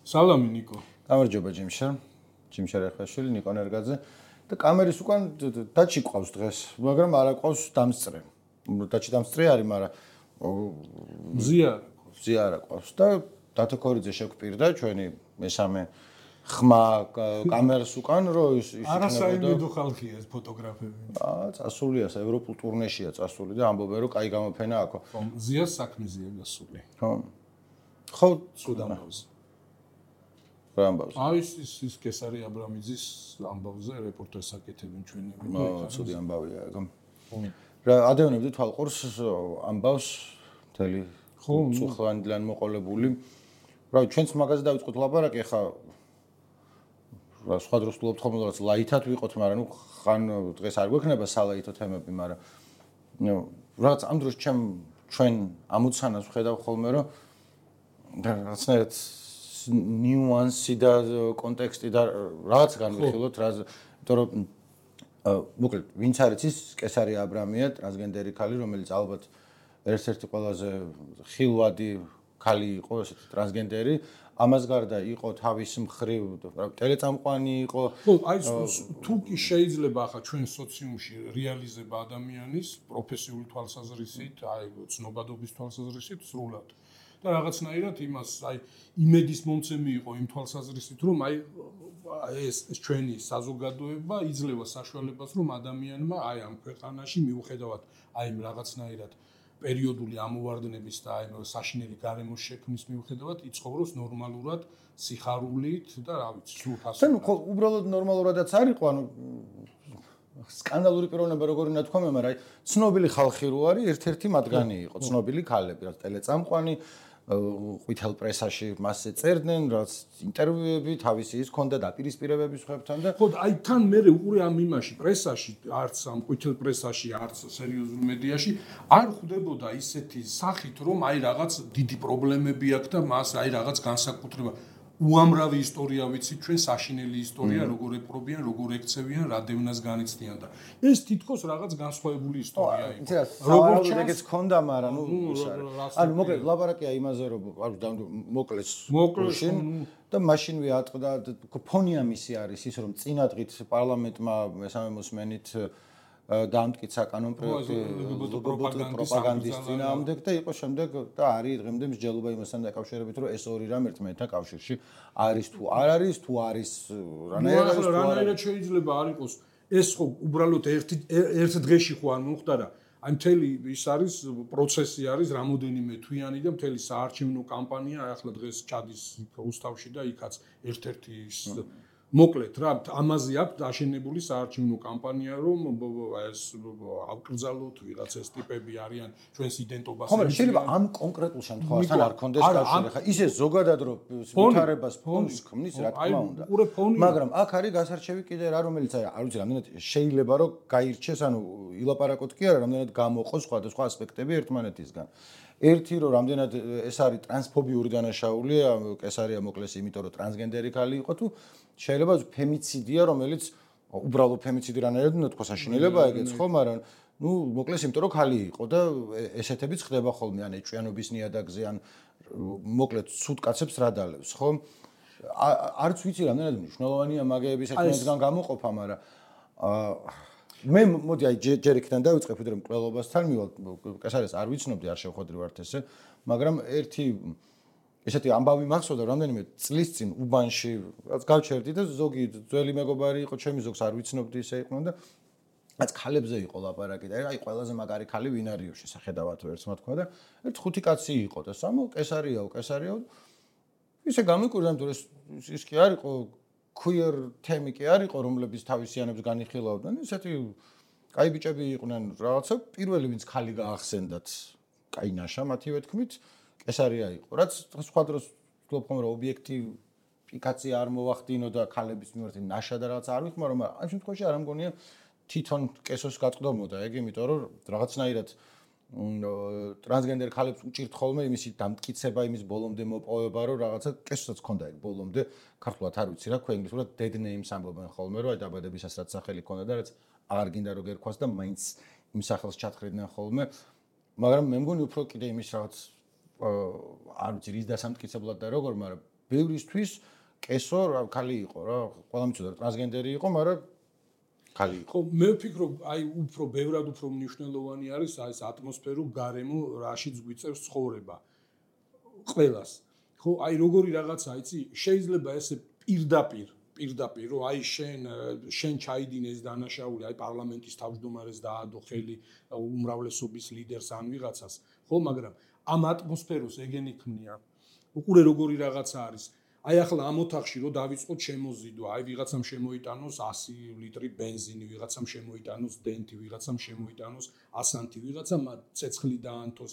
სალამი ნიკო. გამარჯობა ჯიმშა რეხაშვილი, ნიკო ნერგაძე და კამერის უკან დაჩი ყავს დღეს, მაგრამ არა ყავს დამსწრე. დაჩი დამსწრე არის, მაგრამ მზია არა ყავს და დათო ქორიძე შეგვპირდა ჩვენი მესამე ხმა კამერას უკან, რომ ის არასაიმედო ხალხია ეს ფოტოგრაფები. წასულია ევროპულ ტურნეშია წასული და ამბობენ რომ კაი გამოფენა აქვს. მზიას საქმეზეა გასული. ხო, სუდამბავს. რა ამბავს? აი ის კესარი აბრამიძის ამბავზე რეპორტაჟს აკეთებენ ჩვენი. ცუდი ამბავია ეგ. რა ადევნებდი თვალყურს ამბავს მთელი წუხლანდლან მოყოლებული. რა ჩვენც მაგაზე დავიწყოთ ლაპარაკი, ხა რა სხვა დროს ვთვლობთ ხოლმე რაღაც ლაითად ვიყოთ, მაგრამ ნუ ხან დღეს არ გვექნება სალაითო თემები, მაგრამ რაღაც ამ დროს ჩვენ ამოცანას ვხედავ ხოლმე, რომ რაღაცნაირად ნიუანსი და კონტექსტი და რაღაც განვიხილოთ, იმიტომ რომ მოკლედ ვინც არის ის კესარი აბრამია, ტრანსგენდერი ქალი, რომელიც ალბათ ერთ-ერთი ყველაზე ხილვადი ქალი იყო, ესეთი ტრანსგენდერი, ამას გარდა იყო თავის მხრივ ტელეწამყვანი იყო. ხო, აი თუ კი შეიძლება ახლა ჩვენ სოციუმში რეალიზება ადამიანის პროფესიული თვალსაზრისით, აი ცნობადობის თვალსაზრისით სრულად. და რაღაცნაირად იმას აი იმედის მომცემი იყო იმ თვალსაზრისით, რომ აი ეს ჩვენი საზოგადოება იძლევა საშუალებას, რომ ადამიანმა აი ამ ქვეყანაში მიუხედავად აი რაღაცნაირად პერიოდული ამოვარდნების და აი საშინელი გარემოს შექმნის მიუხედავად იცხოვროს ნორმალურად, სიხარულით და რა ვიცი, სულ ფასად. ხო, უბრალოდ ნორმალურადაც არ იყო, ანუ სკანდალური პიროვნება როგორი ნათქვამია, მაგრამ აი ცნობილი ხალხი რო არის, ერთ-ერთი მათგანი იყო, ცნობილი ქალები, რაც ტელეწამყვანი, ყვითელ პრესაში მასზე წერდნენ, რაც ინტერვიუები თავისი ის ქონდა დაპირისპირებების ხებთან და ხო, აი თან მე უყურე ამ იმაში პრესაში, არც ამ ყვითელ პრესაში, არც სერიოზულ მედიაში არ ხვდებოდა ისეთი სახით, რომ აი რაღაც დიდი პრობლემები აქვს და მას აი რაღაც განსაკუთრება უამრავი ისტორია ვიცით ჩვენ საშინელი ისტორია როგორ ეპრობიან, როგორ ექცევიან, რა დევნას განიცდიან და ეს თითქოს რაღაც განსხვავებული ისტორია იყო. როგორ ეგეც ქონდა, მაგრამ ნუ ანუ მოკლედ ლაპარაკია იმაზე, რომ მოკლეს და მაშინვე ატყდა ფონია მისი არის ის, რომ წინადღით პარლამენტმა მესამე მოსმენით დაამტკიცა კანონ პროექტი პროპაგანდის წინააღმდეგ და იყო შემდეგ და არის დღემდე მსჯელობა იმასთან დაკავშირებით, რომ ეს ორი რამ ერთმანეთთან კავშირში არის თუ არ არის, თუ არის რანაირად შეიძლება არ იყოს ეს ხო უბრალოდ ერთ დღეში ხო არ მომხდარა. აი მთელი ის არის პროცესი არის რამოდენიმე თვიანი და მთელი საარჩევნო კამპანია ახლა დღეს ჩადის რუსთავში და იქაც ერთ-ერთი ის მოკლედ რა ამაზე აქვს დაშენებული საარჩევნო კამპანია რომ ეს ავკრძალოთ ვიღაც ეს ტიპები არიან ჩვენს იდენტობას. ხო, შეიძლება ამ კონკრეტულ შემთხვევასთან არ კონდეს კავშირი. ხა ისე ზოგადად რომ ვითარებას ფონს ქმნის რა თქმა უნდა. მაგრამ აქ არის გასარჩევი კიდე რა რომელიც არ ვიცი რამდენად შეიძლება რომ გაირჩეს, ანუ ილაპარაკოთ კი არა, რამდენად გამოყოს სხვადასხვა ასპექტები ერთმანეთისგან. ერთი რომ რამდენად ეს არის ტრანსფობიური დანაშაულია, კესარია მოკლეს იმიტომ რომ ტრანსგენდერი ქალი იყო თუ შეიძლება ფემიციდია, რომელიც უბრალოდ ფემიციდი რანაირად უნდა თქვა საშინელება ეგეც ხო, მაგრამ ნუ მოკლეს იმიტომ რომ ქალი იყო და ესეთებიც ხდება ხოლმე, ან ეჭვიანობის ნიადაგზე, ან მოკლედ ცუდ კაცებს რა დალევს, ხო? არც ვიცი რამდენად მნიშვნელოვანია მაგეების ერთმანეთთან გამოყოფა, მაგრამ მე მოდი აი ჯერ იქიდან დავიწყებ, ვიდრე მკვლელობასთან მივალ, კესარიას არ ვიცნობდი, არ შევხვედრი ვართ ესე, მაგრამ ერთი ესეთი ამბავი მახსოვდა რამდენიმე წლის წინ უბანში, რაც გავჩერდი და ზოგი ძველი მეგობარი იყო, ჩემი ზოგს არ ვიცნობდი ისე იყო და რაც ქალებზე იყო ლაპარაკი და აი ყველაზე მაგარი ქალი ვინ არის შესახედავად ერთმა თქვა და ერთ ხუთი კაცი იყო და სამო კესარიაო ისე გამიკვირდა, რომ ის კი არ იყო queer თემი კი არ იყო, რომლებიც თავისიანებს განიხილავდნენ, ისეთი კაი ბიჭები იყვნენ რაღაცა, პირველი ვინც ქალი გაახსენდათ, კაი ნაშა მათივე თქმით, კესარია იყო. რაც სხვა დროს ვთქვი ხომ რომ ობიექტიფიკაცია არ მოვახდინო და ქალების მიმართ ნაშა და რაღაც არ ვიხმარო, მაგრამ ამ შემთხვევაში არ ამგონია თვითონ კესოს გაწყვდომოდა ეგ, იმიტომ რომ რაღაცნაირად ტრანსგენდერ ქალებს უჭირთ ხოლმე იმისი დამტკიცება, იმის ბოლომდე მოპოვება, რომ რაღაცა კესოსაც ქონდა ეგ ბოლომდე, ქართულად არ ვიცი რა, ქვენგლისურად dead names ამბობენ ხოლმე, რომ აი დაბადებისას რაც სახელი ქონდა და რაც აღარ გინდა რომ გერქვას და მაინც იმ სახელს ჩათხრიდნენ ხოლმე, მაგრამ მე მგონი უფრო კიდე იმის რაღაც არ ვიცი რის დასამტკიცებლად და როგორ, მაგრამ ბევრისთვის კესო ქალი იყო რა, ყველა მიცოდა ტრანსგენდერი იყო, მაგრამ ქალი იყო. ხო, მე ვფიქრობ, აი უფრო ბევრად უფრო მნიშვნელოვანი არის ეს ატმოსფერო, გარემო, რაშიც გვიწევს ცხოვრება. ყველას. ხო, აი როგორი რაღაცა, იცი, შეიძლება ესე პირდაპირ, რომ აი შენ ჩაიდინეს დანაშაული, აი პარლამენტის თავმჯდომარეს დაადო ხელი უმრავლესობის ლიდერს ან ვიღაცას, ხო, მაგრამ ამ ატმოსფეროს ეგენი ქმნია. უყურე როგორი რაღაცა არის. აი ახლა ამ ოთახში რომ დავიწყოთ შემოზიდვა, აი ვიღაცამ შემოიტანოს 100 ლიტრი ბენზინი, ვიღაცამ შემოიტანოს დენტი, ვიღაცამ შემოიტანოს ასანთი, ვიღაცამ ცეცხლი დაანთოს,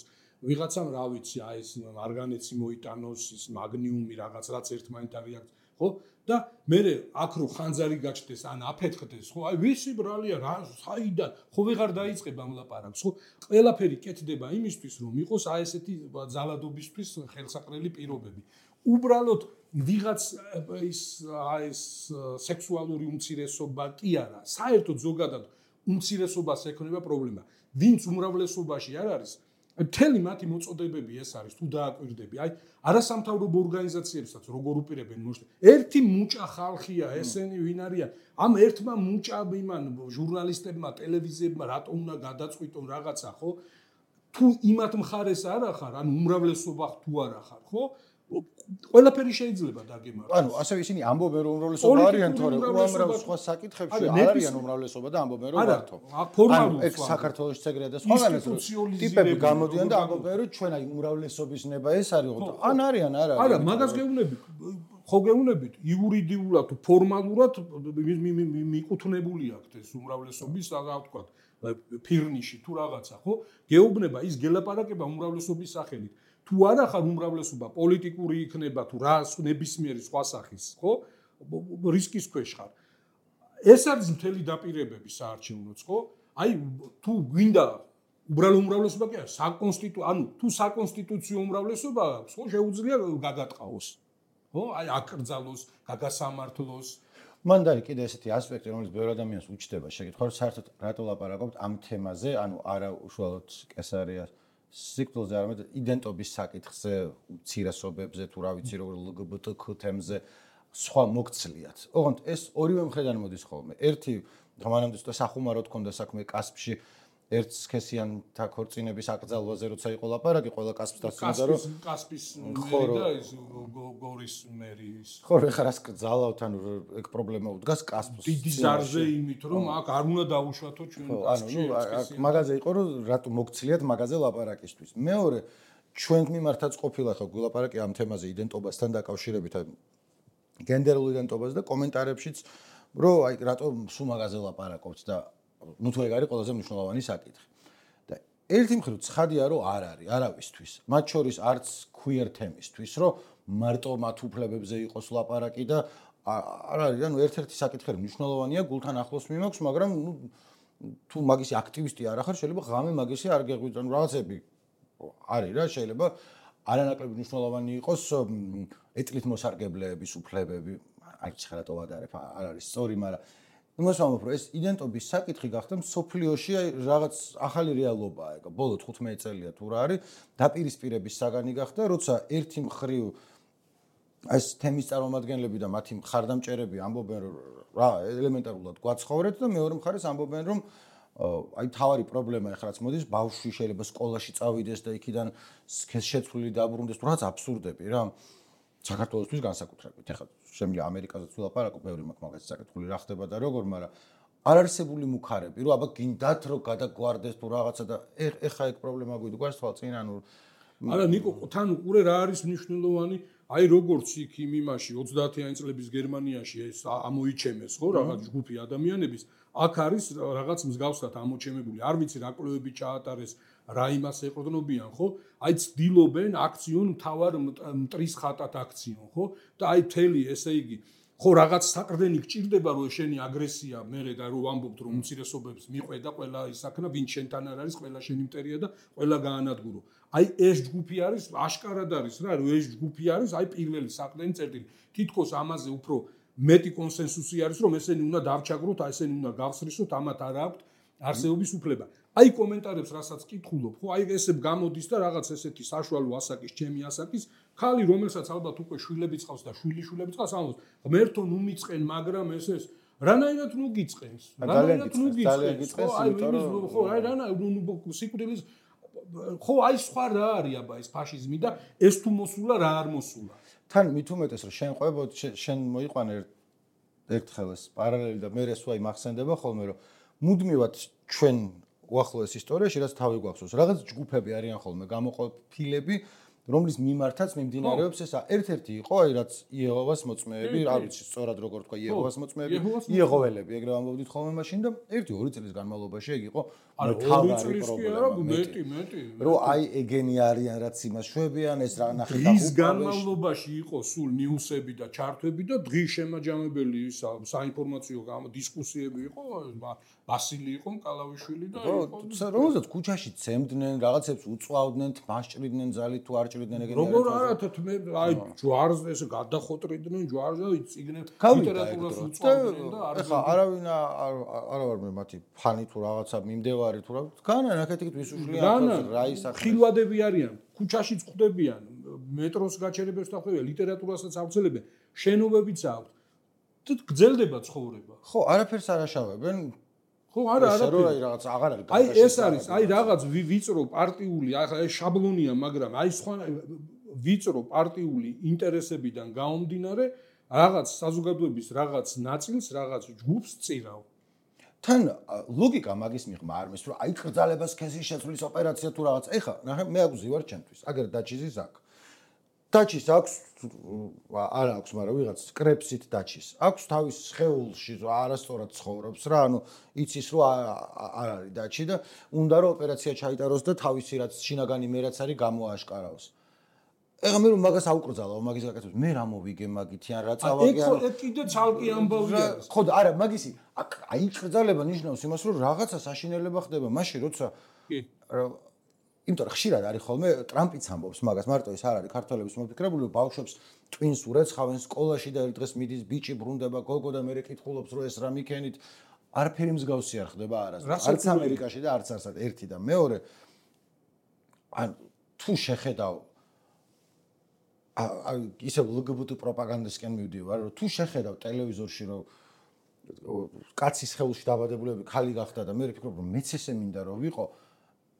ვიღაცამ რა ვიცი, აი ეს მარგანეცი მოიტანოს, ის მაგნიუმი რაღაც რაც ერთმანეთთან რეაქცია, ხო? და მე აქ რო ხანძარი გაჩნდეს, ან აფეთქდეს, ხო? აი ვისი ბრალია რა, საიდან? ხო ვეღარ დაიწყებ ამ ლაპარაკს, ხო? ყველაფერი კეთდება იმისთვის, რომ იყოს აი ესეთი ძალადობისთვის ხელსაყრელი პირობები. უბრალოდ ვიღაც ეს სექსუალური უმცირესობა კი არა, საერთოდ ზოგადად უმცირესობას ექნება პრობლემა. ვინც უმრავლესობაში არ არის, მთელი მათი მოწოდებები ეს არის, თუ დააკვირდები, აი არასამთავრობო ორგანიზაციებსაც როგორ უპირებენ ერთი მუჭა ხალხია ესენი ვინ არიან, ამ ერთმა მუჭა იმან ჟურნალისტებმა, ტელევიზიებმა რატო უნდა გადაწყვიტონ რაღაცა, ხო? თუ იმათ მხარეს არ ახარ, ან უმრავლესობა თუ არ ახარ, ხო? ყველაფერი შეიძლება დაგემართოს. ანუ ასე ისინი ამბობენ რომ უმრავლესობა არიან, თორე უამრავ სხვა საკითხებში არ არიან უმრავლესობა და ამბობენ რომ მართო. ფორმალურად ეგ საქართველოს ეგრეა და სხვაგანაც ტიპები გამოდიან და ამბობენ რომ ჩვენ აი უმრავლესობის ნება ეს არის, ან არიან არ არის. არა, მაგას გეუბნებით. ხო გეუბნებით, იურიდიულად თუ ფორმალურად მიკუთვნებული აქვს ეს უმრავლესობის, რა ვთქვა, ფირნიში თუ რაღაცა, ხო? გეუბნება ის გელაპარაკება უმრავლესობის სახელით. თუ არა ხარ უმრავლესობა პოლიტიკური იქნება თუ რა ნებისმიერი სხვა სახის, ხო? რისკის ქვეშ ხარ. ეს არის მთელი დაპირებები საარჩევნოც, ხო? აი თუ გვინდა უბრალო უმრავლესობა კი არა, ანუ თუ საკონსტიტუციო უმრავლესობა აქვს, ხო, შეუძლია გაგატყაოს. ხო? აი აკრძალოს, გაგასამართლოს. მან დაი კიდე ესეთი ასპექტი, რომელიც ბევრ ადამიანს უჩნდება შეკითხვა, რომ საერთოდ რატო ლაპარაკობთ ამ თემაზე, ანუ არა უშუალოდ კესარიას სიკვდილზე, არამედ იდენტობის საკითხზე, უმცირესობებზე, თუ რა ვიცი, როგორ LGBT თემზე სხვა მოგცლიათ. ოღონდ ეს ორივე მხრიდან მოდის ხოლმე. ერთი მანამდე ცოტა სახუმაროდ ქონდა საქმე კასპში, ერთ სქესიანთა ქორწინების აკრძალვაზე, როცა იყო ლაპარაკი, ყველა კასპს დასწინდა, რომ კასპის მერი და ის გორის მერი ის. ხო, ეხლა რას კრძალავთ, ანუ ეგ პრობლემა უდგას კასპს. დიდი ზარზე იმით, რომ აქ არ უნდა დაუშვათო ჩვენ კასპში. ანუ მაგაზე იყო, რომ რატო მოგცლიათ მაგაზე ლაპარაკისთვის. მეორე, ჩვენ მიმართაც ყოფილა ხო გულაპარაკი ამ თემაზე იდენტობასთან დაკავშირებით, გენდერულ იდენტობაზე და კომენტარებშიც, რომ აი რატო სულ მაგაზე ლაპარაკობთ და ნუ თუ ეგ არის ყველაზე მნიშვნელოვანი საკითხი. და ერთი მხრივ ცხადია რომ არ არის არავისთვის. მათ შორის არც queer თემისთვის, რომ მარტო მათ უფლებებზე იყოს ლაპარაკი და არ არის, ანუ ერთ-ერთი საკითხი მნიშვნელოვანია, გულთან ახლოს მიმაქვს, მაგრამ ნუ თუ მაგისი აქტივისტი არ ახარ, შეიძლება ღამე მაგისი არ გეღვიძო, ანუ რაღაცები არის რა, შეიძლება არანაკლები მნიშვნელოვანი იყოს ეტლით მოსარგებლეების უფლებები, აი ცხადად ვადარებ, არ არის სწორი, მაგრამ იმას ვამბობ, რომ ეს იდენტობის საკითხი გახდა მსოფლიოში რაღაც ახალი რეალობაა, ეგ ბოლო 15 წელია თუ რა არის, დაპირისპირების საგანი გახდა, როცა ერთი მხრივ ეს თემის წარმომადგენლები და მათი მხარდამჭერები ამბობენ, რომ რა ელემენტარულად გვაცხოვრეთ და მეორე მხარეს ამბობენ, რომ აი თავარი პრობლემა ეხლაც მოდის, ბავშვი შეიძლება სკოლაში წავიდეს და იქიდან შეცვლილი დაბრუნდეს, თუ რაღაც აბსურდები რა. საქართველოსთვის განსაკუთრებით. ეხლა შემიძლია ამერიკაზეც ვილაპარაკო, ბევრი მაქვს მაგას საკითხული რა ხდება და როგორ, მაგრამ არ არსებული მუქარები, რომ აბა გინდათ რომ გადაგვარდეს თუ რაღაცა და ეხა ეგ პრობლემა გვიდგას თვალწინ, ანუ არა ნიკო, თან უყურე რა არის მნიშვნელოვანი, აი როგორც იქ იმ იმაში 30-იანი წლების გერმანიაში ეს ამოიჩემეს, ხო, რაღაც ჯგუფი ადამიანების, აქ არის რაღაც მსგავსად ამოჩემებული, არ ვიცი რა კვლევები ჩაატარეს, რა იმას ეყრდნობიან, ხო? აი ცდილობენ აქციონ თავარ მტრის ხატად აქციონ, ხო? და აი მთელი ესე იგი, ხო რაღაც საყრდენი გჭირდება რომ შენი აგრესია მერე და რომ ამბობთ რომ უმცირესობებს მიყვედა ყველა ისაქნა, ვინ შენთან არ არის, ყველა შენი მტერია და ყველა გაანადგურო. აი ეს ჯგუფი არის, აშკარად არის რა, რომ ეს ჯგუფი არის, აი პირველი საყრდენი წერტილი. თითქოს ამაზე უფრო მეტი კონსენსუსი არის, რომ ესენი უნდა დავჩაგროთ, აი ესენი უნდა გავსრისოთ, ამათ არ აქვთ არსებობის უფლება. აი კომენტარებს რასაც კითხულობ, ხო, აი ესე გამოდის და რაღაც ესეთი საშუალო ასაკის, ჩემი ასაკის ხალი რომელსაც ალბათ უკვე შვილებიც ყავს და შვილიშვილებიც ყავს ამბობს ღმერთო ნუ მიწყენ მაგრამ ეს რანაირად ნუ გიწყენს ხო აი რანაირად სიკვდილის ხო აი სხვა რა არის აბა ეს ფაშიზმი და ეს თუ მოსულა რა არ მოსულა თან მით უმეტეს რომ შენ ყვებოდ შენ მოიყვანე ერთხელ ეს პარალელი და მე ეს ვაი მახსენდება ხოლმე რომ მუდმივად ჩვენ უახლოეს ისტორიაში რაც თავი გვახსოვს რაღაც ჯგუფები არიან ხოლმე გამოყოფილები რომლის მიმართაც მიმდინარეობს ესა ერთ-ერთი იყო აი რაც იეჰოვას მოწმეები არ ვიცი სწორად როგორ თქვა იეჰოვას მოწმეები იეჰოველები ეგრე ამბობდით ხოლმე მაშინ და 1-2 წლის განმავლობაში ეგ იყო თავარი პრობლემა მეტი რომ აი ეგენი არიან რაც იმას შვებიან ეს რა ნახე დღის განმავლობაში იყო სულ ნიუსები და ჩარტვები და დღის შემაჯამებელი საინფორმაციო დისკუსიები იყო ბასილი იყო კალავიშვილი და რომელსაც ქუჩაში ცემდნენ რაღაცებს უწვავდნენ თმაშჭრიდნენ ძალით თუ არ როგორ არათთ მე აი ჯვარს ეს გადახოტრიდნენ ჯვარს და იციგნენ ლიტერატურას უწვავდნენ და ახლა არავინ არა ვარ მე მათი ფანი თუ რაღაცა მიმდევარი თუ რა განა ნაკეთით ვისუშლიან რა ისახ ხილვადები არიან ქუჩაშიც ხვდებიან მეტროს გაჩერებებს დახვდებიან ლიტერატურასაც ავრცელებენ შენობებიც აქვს გძელდება ცხოვრება ხო არაფერს არ აშავებენ ხო არა აი რაღაც აღარ არის აი ეს არის აი რაღაც ვიწრო პარტიული ახლა ეს შაბლონია მაგრამ აი სხვა ვიწრო პარტიული ინტერესებიდან გამომდინარე რაღაც საზოგადოების რაღაც ნაწილს რაღაც ჯგუფს წირავ თან ლოგიკა მაგის მიღმა არ მის რომ აი კრძალებას სქესის შეცვლის ოპერაცია თუ რაღაც ეხა ნახე მე აგვზი ვარ ჩემთვის აგერ დაჩიზის აქ დაჩის აქვს არ აქვს მაგრამ ვიღაც კრეპსით დაჩის აქვს თავის სხეულში არასწორად ცხოვრობს რა ანუ იცის რომ არ არის დაჩი და უნდა რომ ოპერაცია ჩაიტაროს და თავისი რაც შინაგანი მე რაც არის გამოაშკარაოს ეხლა მე რომ მაგას აუკრძალავ მაგის გაკეთებს მე რა მოვიგე მაგითი ან რა წავაგე ეგ კიდე ცალკე ამბავია ხო არა მაგისი აი კრძალება ნიშნავს იმას რომ რაღაცა საშინელება ხდება მაშინ როცა იმიტომ რომ ხშირად არის ხოლმე ტრამპიც ამბობს მაგას მარტო ეს არ არის ქართველების მოფიქრებული ბავშვებს ტვინს ურეცხავენ სკოლაში და ერთ დღეს მიდის ბიჭი ბრუნდება გოგო და მე კითხულობს რომ ეს რა მიქენით არაფერი მსგავსი არ ხდება არასდროს არც ამერიკაში და არც არსად ერთი და მეორე ან თუ შეხედავ ისე ლგბტ პროპაგანდასკენ მივდივარ რომ თუ შეხედავ ტელევიზორში რომ კაცის სხეულში დაბადებულები ხალი გახდა და მე ვფიქრობ რომ მეც ესე მინდა რომ ვიყო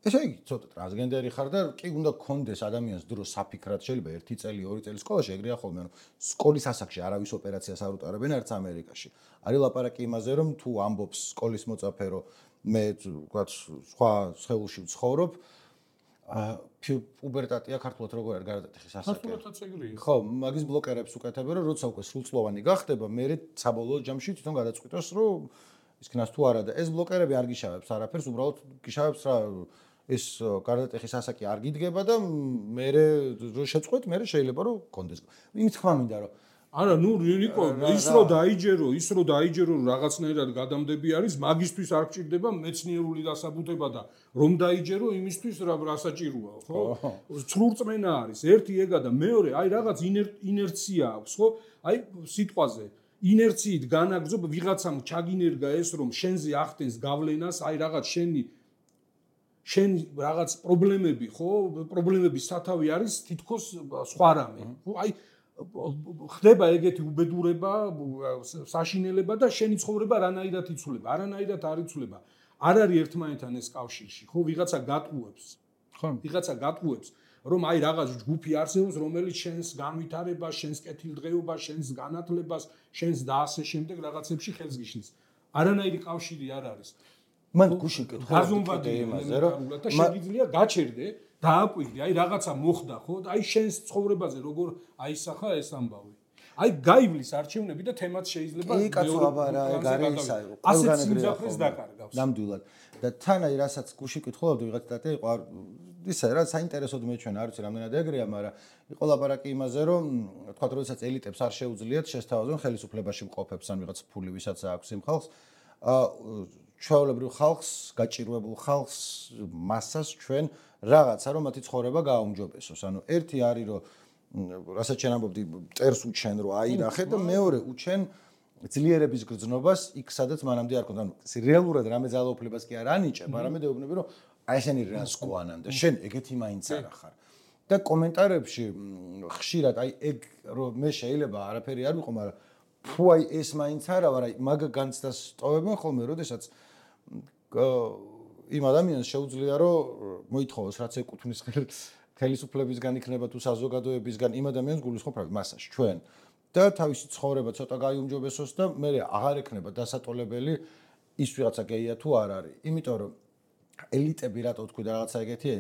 ესე იგი ცოტა ტრანსგენდერი ხარ და კი უნდა გქონდეს ადამიანს დრო საფიქრად შეიძლება 1 წელი 2 წელი სკოლაში ეგრეა ხოლმე ანუ სკოლის ასაკში არავის ოპერაციას არ უტარებენ არც ამერიკაში არის ლაპარაკი იმაზე რომ თუ ამბობს სკოლის მოწაფე რომ მე ვთქვათ სხვა სხეულში ვცხოვრობ პუბერტატია ქართულად როგორ არის გარდატეხის ასაკი ქართულადაც ეგრეა ხო მაგის ბლოკერებს უკეთებენ რომ როცა უკვე სრულწლოვანი გახდება მე საბოლოო ჯამში თვითონ გადაწყვიტოს რომ ისქნას თუ არა და ეს ბლოკერები არ გიშავებს არაფერს უბრალოდ გიშავებს რა ეს გარდატეხის ასაკი არ გიდგება და მე რო შეწყვეტ მე შეიძლება რომ გქონდეს იმით თქვა მინდა რომ არა ნუ ნიკო ის რო დაიჯერო რაღაცნაირად გადამდები არის მაგისთვის არ გჭირდება მეცნიერული დასაბუთება და რომ დაიჯერო იმისთვის რა საჭიროა ხო სრულწმენა არის ერთი ეგა და მეორე აი რაღაც ინერცია აქვს ხო აი სიტყვაზე ინერციით განაგზობ ვიღაცამ ჩაგინერგა ეს რომ შენზე ახდენს გავლენას აი რაღაც შენ რაღაც პრობლემები ხო პრობლემების სათავე არის თითქოს სხვა რამე ხო აი ხდება ეგეთი უბედურება საშინელება და შენი ცხოვრება რანაირად იცვლება არანაირად არ იცვლება არ არის ერთმანეთთან ეს კავშირში ხო ვიღაცა გატყუებს რომ აი რაღაც ჯგუფი არსებობს რომელიც შენს განვითარებას შენს კეთილდღეობას შენს განათლებას შენს და ასე შემდეგ რაღაცებში ხელს გიშლის არანაირი კავშირი არ არის მან გუშინ კითხვა გაზომვადი იმაზე რომ და შეიძლება გაჩერდე დააკვირდი აი რაღაცა მოხდა ხო და აი შენს ცხოვრებაზე როგორ აისახა ეს ამბავი აი გაივლის არჩევნები და თემაც შეიძლება კი კაცოაბა რა ეგ არის ყველგან ეგრეა დაკარგავს ნამდვილად და თან აი რასაც გუშინ კითხულობდი ვიღაც დატა იყო ისე რა საინტერესოდ მეჩვენა არ ვიცი რამდენად ეგრეა მაგრამ იყო ლაპარაკი იმაზე რომ თქვა როდესაც ელიტებს არ შეუძლიათ შესთავაზონ ხელისუფლებაში მყოფებს ან ვიღაც ფული ვისაც აქვს იმ ხალხს ჩვეულებრივ ხალხს გაჭირვებულ ხალხს მასას ჩვენ რაღაცა რომ მათი ცხოვრება გააუმჯობესოს ანუ ერთი არის რომ რასაც ჩვენ ამბობდი წერს უჩენ რომ აი ნახე და მეორე უჩენ ძლიერების გრძნობას იქ სადაც მანამდე არ ქონდა ანუ რეალურად რამე ძალაუფლებას კი არ ანიჭებ არამედ ეუბნები რომ აი ესენი რას ყვანან და შენ ეგეთი მაინც არა ხარ და კომენტარებში ხშირად აი ეგ რომ მე შეიძლება არაფერი არ ვიყო, მაგრამ ფუ აი ეს მაინც არა ვარ, აი მაგ განცდას ტოვებენ ხოლმე, როდესაც იმ ადამიანს შეუძლია რომ მოითხოვოს რაც ეკუთვნის ხელისუფლებისგან იქნება თუ საზოგადოებისგან იმ ადამიანს გულისხმობ მასაში ჩვენ და თავისი ცხოვრება ცოტა გაიუმჯობესოს და მე აღარ ექნება დასატოლებელი ის ვიღაცა გეია თუ არ არის. იმიტომ რომ ელიტები რატო თქვი და რაღაცა ეგეთი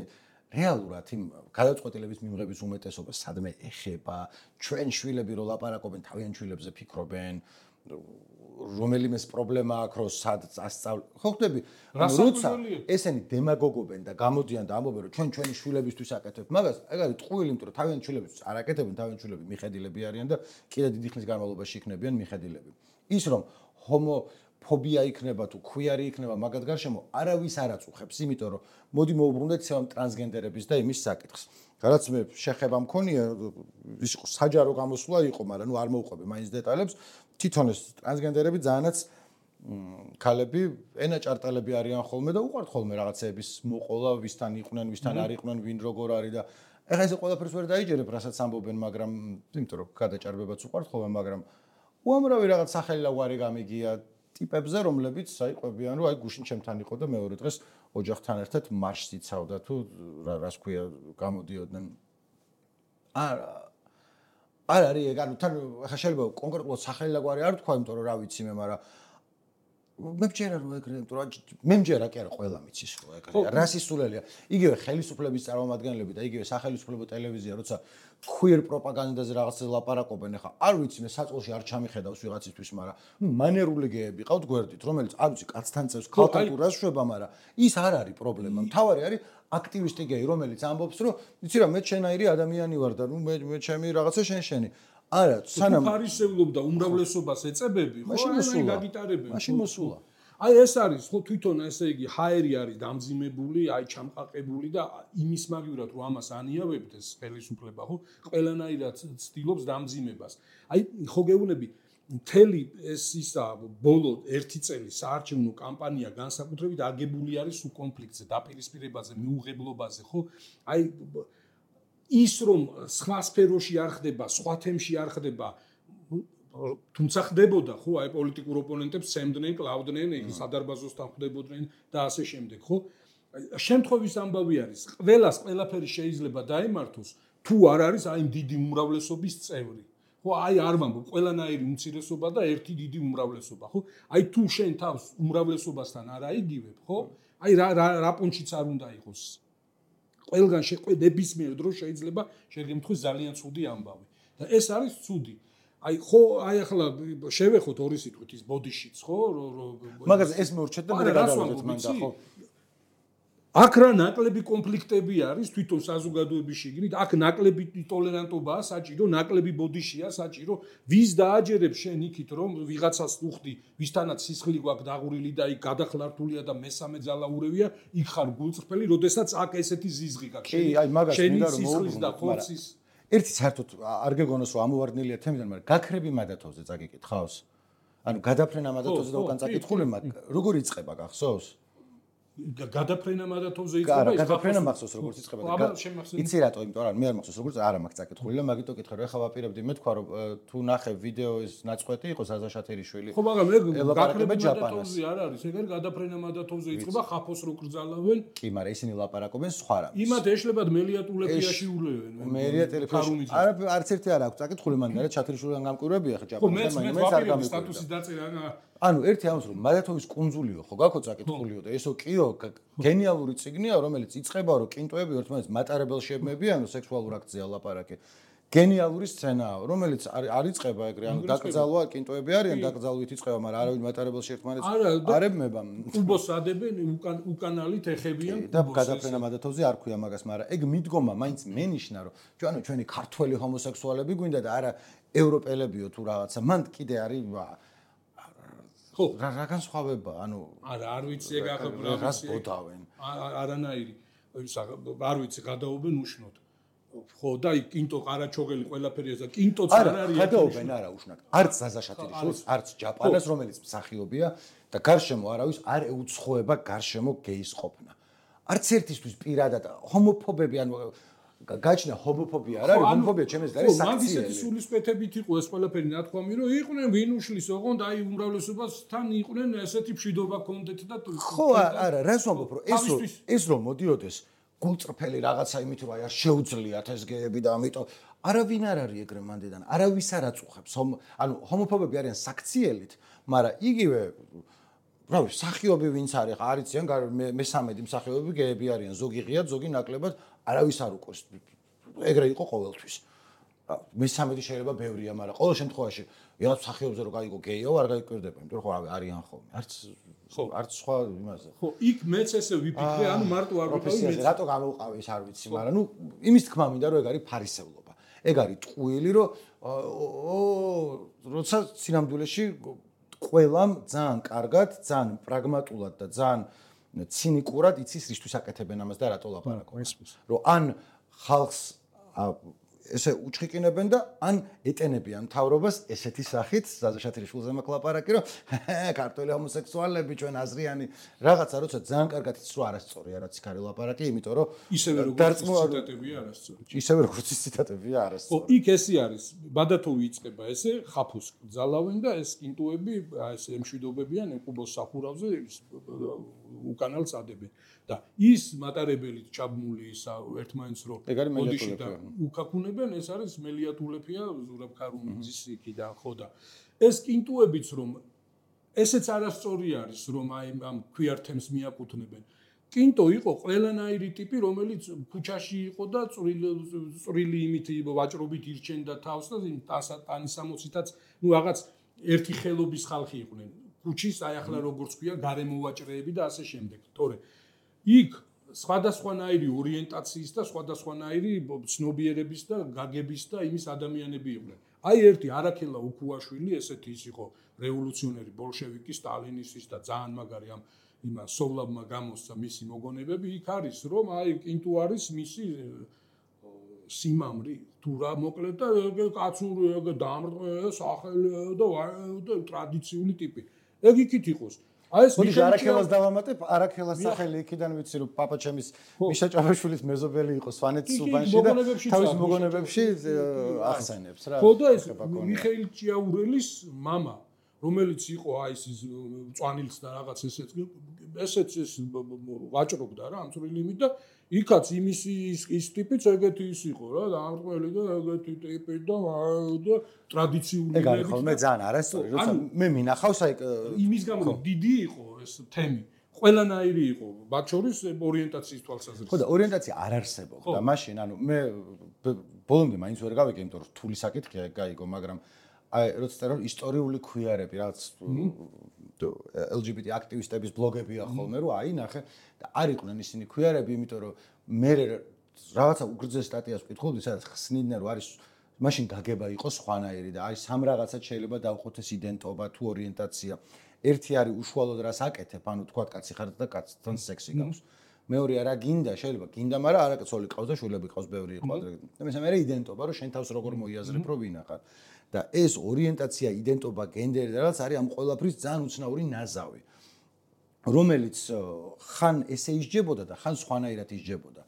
რეალურად იმ გადაწყვეტილების მიღების უმეტესობა სადმე ეხება, ჩვენ შვილები რო ლაპარაკობენ, თავიანთ შვილებზე ფიქრობენ, რომელიმე პრობლემა აქვს რომ სად ასწავლ. ხო ხდები? როცა ესენი დემაგოგობენ და გამოდიან და ამბობენ რომ ჩვენ ჩვენი შვილებისთვის აკეთებთ მაგას, ეგ არის ტყუილი, იმიტომ რომ თავიანთ შვილებისთვის არ აკეთებენ, თავიანთ შვილები მიხედილები არიან და კიდე დიდი ხნის განმავლობაში იქნებიან მიხედილები. ის რომ ჰომოფობია იქნება თუ ქვიარი იქნება მაგათ გარშემო არავის არ აწუხებს, იმიტომ რომ მოდი მოუბრუნდეთ ამ ტრანსგენდერების და იმის საკითხს. რაც მე შეხება მქონია, ის იყო საჯარო გამოსვლა იყო, მაგრამ ნუ არ მოვყვები მაინც დეტალებს. თვითონ ეს ტრანსგენდერები ძალიანაც ქალები ენაჭარტალები არიან ხოლმე და უყვართ ხოლმე რაღაცეების მოყოლა, ვისთან იყვნენ, ვისთან არ იყვნენ, ვინ როგორ არის და ეხლა ეს ყველაფერს ვერ დაიჯერებ, რასაც ამბობენ, მაგრამ იმიტომ რომ გადაჭარბებაც უყვართ ხოლმე, მაგრამ უამრავი რაღაც სახელავარი გამიგია ტიპებზე, რომლებიც საიყვებიან, რომ აი გუშინ ჩემთან იყო და მეორე დღეს ოჯახთან ერთად მარშს იცავდა თუ რას ქვია გამოდიოდნენ. არ არის ეგ, ანუ თან ხა შეიძლება კონკრეტულად სახელავარი არ თქვა, იმიტომ რომ რა ვიცი მე, მაგრამ მე მჯერა რომ ეგრე, იმიტომ რომ მე მჯერა კი არა ყველა მიცის რომ ეგრე. რასისტულელია. იგივე ხელისუფლების წარმომადგენლები და იგივე სახელმწიფო ტელევიზია, როცა queer პროპაგანდაზე რაღაცას ლაპარაკობენ, ხა არ ვიცი მე საწყოში არ ჩამიხედავს ვიღაცისთვის, მაგრამ მანერული გეები ყავთ გვერდით, რომელიც არ ვიცი კაცთან წევს, ქალთან თუ რას შვება, მაგრამ ის არ არის პრობლემა. მთავარი არის აქტივისტი გეი, რომელიც ამბობს, რომ იცი რა, მე შენაირი ადამიანი ვარ და ნუ მე ჩემი რაღაცა შენი. არა, სანამ ფარისევლობ და უმრავლესობას ეწებები, ხო, აი გაგიტარებენ. მაშინ მოსულა. აი ეს არის, ხო, თვითონ ესე იგი ჰაერი არის დამძიმებული, აი ჩამყაყებული და იმის მაგივრად რომ ამას ანიავებთ ეს ხელისუფლება, ხო, ყველანაირად ცდილობს დამძიმებას. აი ხო გეუბნები მთელი ეს ისა ბოლო 1 წელი საარჩევნო კამპანია განსაკუთრებით აგებული არის სულ კონფლიქტზე, დაპირისპირებაზე, მიუღებლობაზე, ხო? აი ის რომ სხვა სფეროში არ ხდება, სხვა თემში არ ხდება, თუმცა ხდებოდა, ხო, აი პოლიტიკურ ოპონენტებს სემდნენ, კლავდნენ, სადარბაზოსთან ხდებოდნენ და ასე შემდეგ, ხო? შემთხვევის ამბავი არის, ყველაფერი შეიძლება დაემართოს, თუ არ არის აი დიდი უმრავლესობის წევრი. ხო, აი არ ვამბობ, ყველანაირი უმცირესობა და ერთი დიდი უმრავლესობა, ხო? აი თუ შენ თავს უმრავლესობასთან არ აიგივებ, ხო? აი რა პუნჩიც არ უნდა იყოს. ყველგან ნებისმიერ დროს შეიძლება შეგემთხვის ძალიან ცუდი ამბავი. და ეს არის ცუდი. აი ხო, აი ახლა შევეხოთ ორი სიტყვით ის ბოდიშიც, ხო? მაგას ეს მორჩეთ და მე გადავიდეთ მან და ხო. აქ რა ნაკლები კონფლიქტები არის თვითონ საზოგადოების შიგნით, აქ ნაკლები ტოლერანტობაა საჭირო, ნაკლები ბოდიშია საჭირო, ვის დააჯერებს შენ იქით რომ ვიღაცას უხდი, ვისთანაც სისხლი გვაქვს დაღურილი და იქ გადახლართულია და მესამე ძალაურევია, იქ ხარ გულწრფელი, როდესაც აქ ესეთი ზიზღი გაქვს. კი, აი მაგას მინდა რომ სისხლის და ხორცის ერთი საერთოდ არ გეგონოს რომ ამოვარდნილია თემიდან, მაგრამ გაქრები მადათოვზე წაგიკითხავს. ანუ გადაფრენა მადათოვზე და უკან წაკითხული, როგორ იწყება გახსოვს? გადაფრენა მადათოვზე იწყება ის გადაფრენა მახსოვს როგორც იწყება და იცი რატო, იმიტომ რომ მე არ მახსოვს როგორც არა მაქვს წაკითხული და მაგიტო კითხე რომ ეხლა ვაპირებდი მე თქვა რომ თუ ნახე ვიდეოს ნაწყვეტი იყო საზა შათერიშვილი ხო მაგრამ ეგ გადაფრენა მადათოვზე არ არის ეგ არის გადაფრენა მადათოვზე იწყება ხაფოს რო კრძალავენ კი მაგრამ ისინი ლაპარაკობენ სხვა რამის იმათ ეშლებათ მელიატულეფიაში ულევენ მელიატულეფიაში არც ერთი არ აქვს წაკითხული მაგრამ რა შათერიშვილიდან გამკვირვებია ხა ჯაპონეთში მე არ გამკვირვები სტატუსი დაწერა ანუ ერთი ამას რომ მადათოვის კუნძულიო ხო გაქო წაკითხულიო და ესო კიო გენიალური ციგნია რომელიც იწყება რომ კინტოები ერთმანეთს მატარებელ შემებიან სექსუალურ აქტზეა ლაპარაკი გენიალური სცენაა რომელიც არ იწყება ეგრე ანუ დაკრძალვა კინტოები არიან დაკრძალვით იწყება მაგრამ არავინ მატარებელ ერთმანეთს არ ებმება კუბოს ადებენ უკანალით ეხებიან და გადაფრენა მადათოვზე არ ქვია მაგას მაგრამ ეგ მიდგომა მაინც მენიშნა რომ ჩვენი ქართველი ჰომოსექსუალები გვინდა და არა ევროპელებიო თუ რაღაცა მან კიდე არის ხო რა განსხვავება ანუ არ ვიცი ეგ ახლა რას ბოდავენ არანაირი არ ვიცი გადაობენ უშნოდ ხო და კინტო ყარაჩოგელი ყველაფერი ესა კინტოც არ არის გადაობენ არა უშნოდ არც ზაზაშატირიშვილს არც ჯაპანას რომელიც მსახიობია და გარშემო არავის არ ეუცხოება გარშემო გეის ყოფნა არც ერთისთვის პირადად ჰომოფობები ანუ გაჩნდა ჰომოფობია რა არის ჰომოფობია ჩემს არის საქციელი. მან ისეთი სულისკვეთებით იყო ეს ყველაფერი ნათქვამი რომ იყვნენ ვინ უშლის ოღონდ აი უმრავლესობასთან იყვნენ ესეთი მშვიდობა კონდეთ და ხო არა რას ვამბობ რომ ეს რომ მოდიოდეს გულწრფელი რაღაცა იმით რომ აი არ შეუძლიათ ეს გეები და ამიტომ არავინ არ არის ეგრე მანდედან არავის არ აწუხებს ანუ ჰომოფობები არიან საქციელით მაგრამ იგივე რავი სახიობი ვინც არის არიციან მე-13 მსახიობები გეები არიან ზოგი ღიად ზოგი ნაკლებად არავის არ უყვეს ეგრე იყო ყოველთვის მე-13 შეიძლება ბევრია მაგრამ ყოველ შემთხვევაში ვიღაც მსახიობზე რო გაიგო გეიო არ გაიკვირდება იმიტომ რომ ხო რავი არიან ხოლმე არც სხვა იმაზე ხო იქ მეც ესე ვიფიქრე ანუ მარტო არ ვიყავი მეც რატო გამოვყავი ეს არ ვიცი მაგრამ ნუ იმის თქმა მინდა რომ ეგ არის ფარისევლობა ეგ არის ტყუილი რომ როცა სინამდვილეში ყველამ ძალიან კარგად, ძალიან პრაგმატულად და ძალიან ცინიკურად იცის რისთვის აკეთებენ ამას და რატო ლაპარაკობენ. რომ ან ხალხს ესე უჩხიკინებენ და ან ეტენებიან მთავრობას ესეთი სახით, ზაზაშათრიშვილზე მაქვს ლაპარაკი, რომ ქართველი ჰომოსექსუალები ჩვენ აზრიანი რაღაცა როცა ძალიან კარგად იცის რომ არასწორია რაც იქ არის ლაპარაკი, იმიტომ რომ ისევე როგორც ციტატებია არასწორი. ისევე როგორც ციტატებია არასწორი. ხო, იქ ესე არის. ბადათოვი იწყება ესე, ხაფოს ძალავენ და ეს კინტუები, ეს მშვიდობებიან ეკუბოს სახურავზე უკანალს ადებენ. და ის მატარებელით ჩაბმული ისა ერთმანეთს რო ოდიში და უკაკუნებენ ეს არის მელიატულეფია ზურაბ ქარუმიძის იქიდან ხო და ეს კინტუებიც რომ ესეც არასწორი არის რომ აი ამ ქვიართემს მიაკუთვნებენ კინტო იყო ყველანაირი ტიპი რომელიც ქუჩაში იყო და წვრილი იმით ვაჭრობით ირჩენდა თავს და ტანისამოცითაც ნუ რაღაც ერთი ხელობის ხალხი იყვნენ ქუჩის აი ახლა როგორც ქვია გარემოვაჭრეები და ასე შემდეგ თორე იქ სხვადასხვანაირი ორიენტაციის და სხვადასხვანაირი ცნობიერების და გაგების და იმის ადამიანები იყვნენ. აი ერთი არაქელა უქუაშვილი ესეთი ის იყო რევოლუციონერი ბოლშევიკი სტალინისტის და ძალიან მაგარი ამ იმას სოვლაბმა გამოსცა მისი მოგონებები იქ არის რომ აი კინტუ არის მისი სიმამრი თუ რა მოკლედ და კაცური დამრტყე სახელი და ტრადიციული ტიპი. ეგ იქით იყოს. აი ეს მოდი არაქელას დავამატებ, არაქელას სახელი იქიდან ვიცი რომ პაპა ჩემის მიშა ჭავაშვილის მეზობელი იყო სვანეთის უბანში და თავის მოგონებებში ახსენებს რა. ხო და ეს მიხეილ ჭიაურელის мама, რომელიც იყო აი ეს მწვანილს და რაღაც ესეც ვაჭრობდა რა ამ წვრილიმით და იქაც იმის ის ტიპიც ეგეთი ის იყო რა დამრტყელი და ეგეთი ტიპი და ტრადიციული ეგ არის ხოლმე ძალიან არასწორი როცა მე მინახავს აი იმის გამო დიდი იყო ეს თემი ყველანაირი იყო მათ შორის ორიენტაციის თვალსაზრისით ხო და ორიენტაცია არ არსებობდა და მაშინ ანუ მე ბოლომდე მაინც ვერ გავიგე იმიტომ რომ რთული საკითხია გაიგო მაგრამ აი როცა წერო ისტორიული ქვიარები რაც LGBT აქტივისტების ბლოგებია ხოლმე რომ აი ნახე და არ იყვნენ ისინი ქვიარები იმიტომ რომ მე რაღაცა უგრძეს სტატიას ვკითხულობდი სადაც ხსნიდნენ რომ არის მაშინ გაგება იყო სხვანაირი და აი სამ რაღაცად შეიძლება დავყოთ ეს იდენტობა თუ ორიენტაცია ერთი არის უშუალოდ რას აკეთებ ანუ თქვა კაცი ხარ და კაცთან სექსი გაქვს მეორე არა გინდა შეიძლება გინდა მაგრამ არა ცოლი ყავს და შვილები ყავს ბევრი იყო და მესამე იდენტობა რომ შენ თავს როგორ მოიაზრებ რომ ვინახარ და ეს ორიენტაცია იდენტობა გენდერი და რაც არის ამ ყველაფრის ძალიან უცნაური ნაზავი რომელიც ხან ესე ისჯებოდა და ხან სხვანაირად ისჯებოდა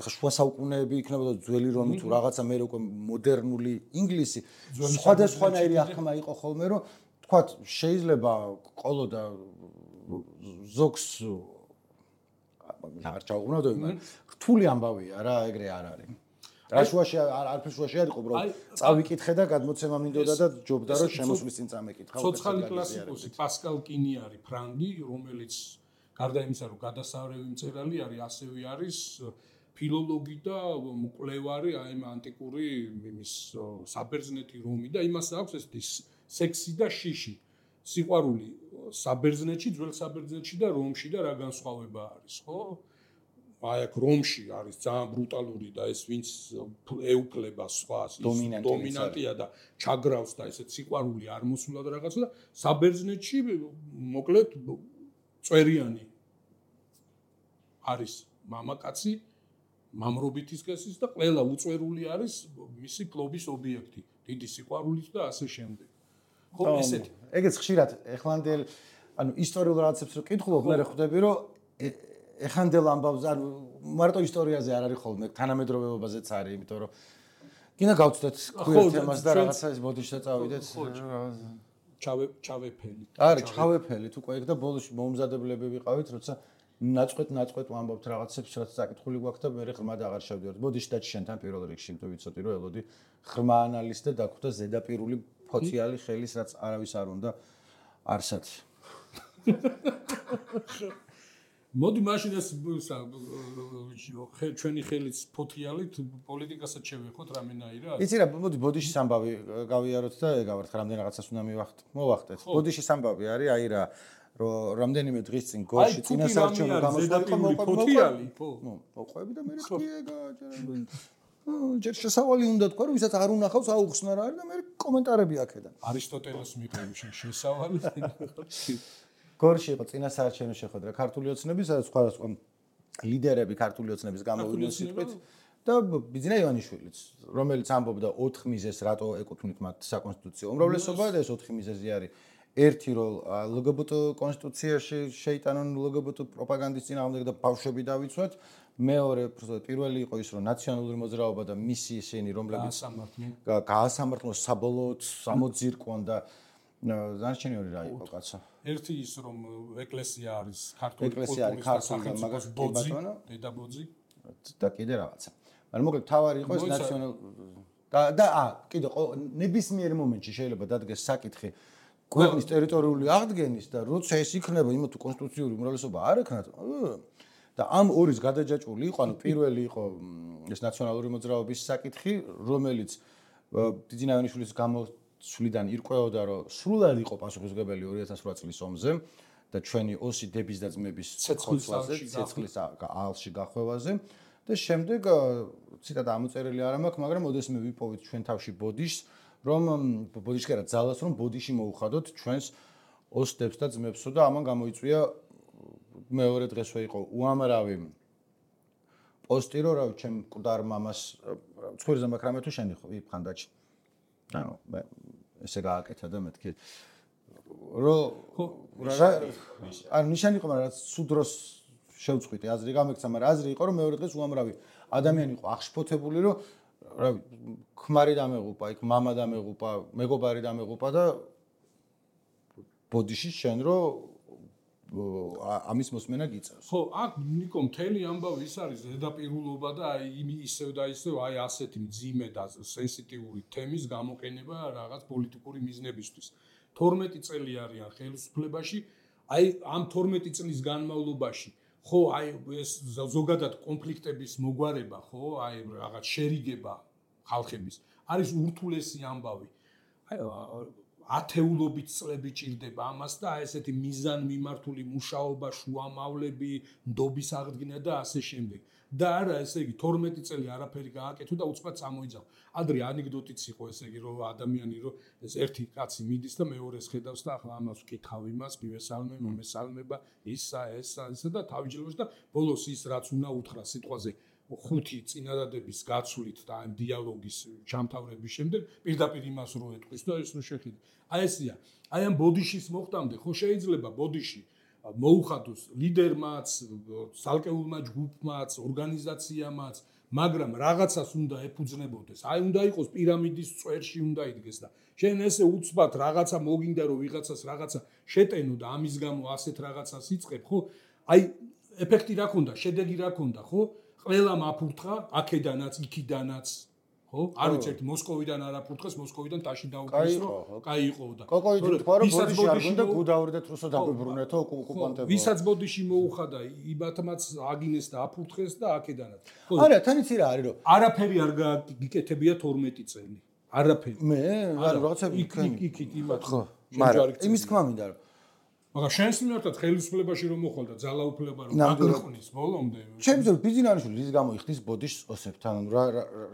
ახლა შუა საუკუნეები იქნებოდა ძველი რომი თუ რაღაცა მე უკვე მოდერნული ინგლისი სხვადასხვანაირი ახმა იყო ხოლმე რომ თქვათ შეიძლება ყოლოდა ზოგს არ ჩაუღვნოდო იმან რთული ამბავია რა ეგრე არ არის რა შუაში არაფერ შუაში არ იყო უბრალოდ წავიკითხე და გადმოცემა მინდოდა და ჯობდა რომ შემოსვლის წინ წამეკითხა ცოცხალი კლასიკოსი პასკალ კინი არის ფრანგი რომელიც გარდა იმისა რომ გადასარევი მწერალი არის ასევე არის ფილოლოგი და მკვლევარი აი ამ ანტიკური იმის საბერძნეთი რომი და იმას აქვს ეს სექსი და შიში სიყვარული საბერძნეთში ძველ საბერძნეთში და რომში და რა განსხვავება არის ხო აი აქ რომში არის ძალიან ბრუტალური და ეს ვინც ეუფლება სხვას დომინანტია და ჩაგრავს და ესეც სიყვარული არ მოსულა და რაღაცა და საბერძნეთში მოკლედ წვერიანი არის მამაკაცი მამრობითის გასის და ყველა უწვერული არის მისი ფლობის ობიექტი დიდი სიყვარულით და ასე შემდეგ ხო ესეთი ეგეც ხშირად ეხლანდელ ანუ ისტორიულ რაღაცებს რო კითხულობ მე ხვდები რომ ეხანდელ ამბავს არ მარტო ისტორიაზე არ არის ხოლმე, თანამედროვეობაზეც არის, იმიტომ რომ კიდე გავწდეთ queer თემას და რაღაცა ეს ბოდიშზე წავიდეთ. ჩავეფელი. არა, ჩავეფელით უკვე იქ და ბოლოში მომზადებლები ვიყავით, როცა ნაწყვეტ ვამბობთ რაღაცებს, რაც საკითხული გვაქვს და მე ღრმად აღარ შევდივართ. ბოდიში და შენთან პირველ რიგში, იმიტომ ვიცოდი რომ ელოდი ღრმა ანალიზი და დაგვხვდა ზედაპირული ფოციალი ხელის, რაც არავის არ უნდა არსად. მოდი მაშინ ეს ჩვენი ხელის ფოთიალით პოლიტიკასაც შევეხოთ რამენაირად. იცი რა, მოდი ბოდიშის ამბავი გავიაროთ და ეგავართ რამდენ რაღაცას უნდა მოვახტეთ. ბოდიშის ამბავი არის აი რა, რომ რამდენიმე დღის წინ გორში წინასაარჩევნო გამოსვლა ფოთიალი, ხო. მოყვები და მე ეგა ჯერ შესავალი უნდა თქვა, რომ ვისაც არ უნახავს აუხსნა რა არის და მე კომენტარები აქედან. არისტოტელეს მიყევი შესავალი. გორში იყო წინასაარჩევნო შეხვედრა ქართული ოცნების, სადაც სხვადასხვა ლიდერები ქართული ოცნების გამოვიდნენ სიტყვით და ბიძინა ივანიშვილიც, რომელიც ამბობდა 4 მიზეზს, რატო ეკუთვნით მათ საკონსტიტუციო უმრავლესობა და ეს 4 მიზეზი არის. ერთი რომ LGBT კონსტიტუციაში შეიტანონ LGBT პროპაგანდის წინააღმდეგ და ბავშვები დავიცვათ. მეორე, პირველი იყო ის, რომ ნაციონალური მოძრაობა და მისი ისინი, რომლებიც გაასამართლონ საბოლოოდ სამოძირკვონ და დანარჩენი ორი რა იყო კაცო. ერთი ის რომ ეკლესია არის ქართული კულტურის მაგას ბოძი, დედაბოძი და კიდე რაღაცა. მაგრამ მოკლედ თავარი იყო ეს ნაციონალ და კიდე ნებისმიერ მომენტში შეიძლება დადგეს საკითხი ქვეყნის ტერიტორიული აღდგენის და როცა ეს იქნება იმათ თუ კონსტიტუციური უმრავლესობა არ ექნათ და ამ ორის გადაჯაჭვული იყო, ანუ პირველი იყო ეს ნაციონალური მოძრაობის საკითხი, რომელიც ბიძინა ივანიშვილის სულიდან ირკვეოდა, რომ სრულად იყო პასუხისმგებელი 2008 წლის ომზე და ჩვენი ოსი დების და ძმების ცეცხლზე, ცეცხლის ალში გახვევაზე და შემდეგ ციტატა ამოწერილი არ მაქვს, მაგრამ ოდესმე ვიპოვით ჩვენ თავში ბოდიშს, რომ ბოდიში კი არა ძალას, რომ ბოდიში მოუხადოთ ჩვენს ოსდებს და ძმებსო და ამან გამოიწვია მეორე დღესვე იყო უამრავი პოსტი, რომ რა ჩემ მკვდარ მამას ცხვირზე მაქრამე თუ შენი ხანდაჭი. ანუ ესე გააკეთა და მეთქი ანუ ნიშანი იყო, მაგრამ რაც სუდროს შევწყვიტე აზრი გამექცა, მაგრამ აზრი იყო, რომ მეორე დღეს უამრავი ადამიანი იყო აღშფოთებული, რომ რა ქმარი დამეღუპა, იქ მამა დამეღუპა, მეგობარი დამეღუპა და ბოდიში შენ რომ ამის მოსმენა გიწევს. ხო, აქ ნიკო მთელი ამბავი ის არის ზედაპირულობა და აი ისევ და ისევ აი ასეთი მძიმე და სენსიტიური თემის გამოყენება რაღაც პოლიტიკური მიზნებისთვის. 12 წელი არიან ხელისუფლებაში, აი ამ 12 წლის განმავლობაში, ხო, აი ეს ზოგადად კონფლიქტების მოგვარება, ხო, აი რაღაც შერიგება ხალხების არის ურთულესი ამბავი. აი ათეულობით წლები ჭირდება ამას და ესეთი მიზანმიმართული მუშაობა, შუამავლები, ნდობის აღდგენა და ასე შემდეგ. და არა, ესე იგი 12 წელი არაფერი გააკეთო და უცბად წამოიძავ. ადრე ანეკდოტიც იყო, ესე იგი, რომ ადამიანი რომ ეს ერთი კაცი მიდის და მეორეს ხედავს და ახლა ამას ვკითხავ იმას, მივესალმე, მომესალმება, ისა და თავიჯეროს და ბოლოს ის რაც უნდა უთხრა სიტყვაზე 5 წინადადების გაცვლით და ამ დიალოგის ჩამთავრების შემდეგ პირდაპირ იმას რო ეტყვის და ეს რო შეხედე. აი ესია. აი ამ ბოდიშის მოხდამდე ხო შეიძლება ბოდიში მოუხადოს ლიდერმაც, სალკეულმა ჯგუფმაც, ორგანიზაციამაც, მაგრამ რაღაცას უნდა ეფუძნებოდეს. აი უნდა იყოს პირამიდის წვერში უნდა იდგეს და შენ ესე უცბად რაღაცა მოგინდა რომ ვიღაცას რაღაცა შეტენო და ამის გამო ასეთ რაღაცას იწყებ, ხო? აი ეფექტი რა ქონდა, შედეგი რა ქონდა, ხო? ყველამ აფურთხა, აქედანაც, იქიდანაც, ხო? არ ვიცი, ერთ მოსკოვიდან არ აფურთხეს, მოსკოვიდან ტაში დაუკვირს, რომ კაი იყო და. კოკოიდი თქვა, რომ ბოდიში არ გონდა გუდავრდეთ რუსო დაგვიბრუნეთო ოკუპანტებო. ვისაც ბოდიში მოუხადა, იმათმაც აგინეს და აფურთხეს და აქედანაც. არა, თან იცი რა არის, რომ არაფერი არ გიკეთებია 12 წელი. არაფერი. მე, არა, რაღაცები იქით იმათ. ხო, მაგრამ იმის თქმა მინდა რომ მაგრამ შენს მიმართად ხელისუფლებაში რომ მოხვალ და ძალაუფლება რომ გაგვიყვნის ბოლომდე. შეიძლება ბიზნესში რის გამო იხდის ბოდიშს ოსებთან, ანუ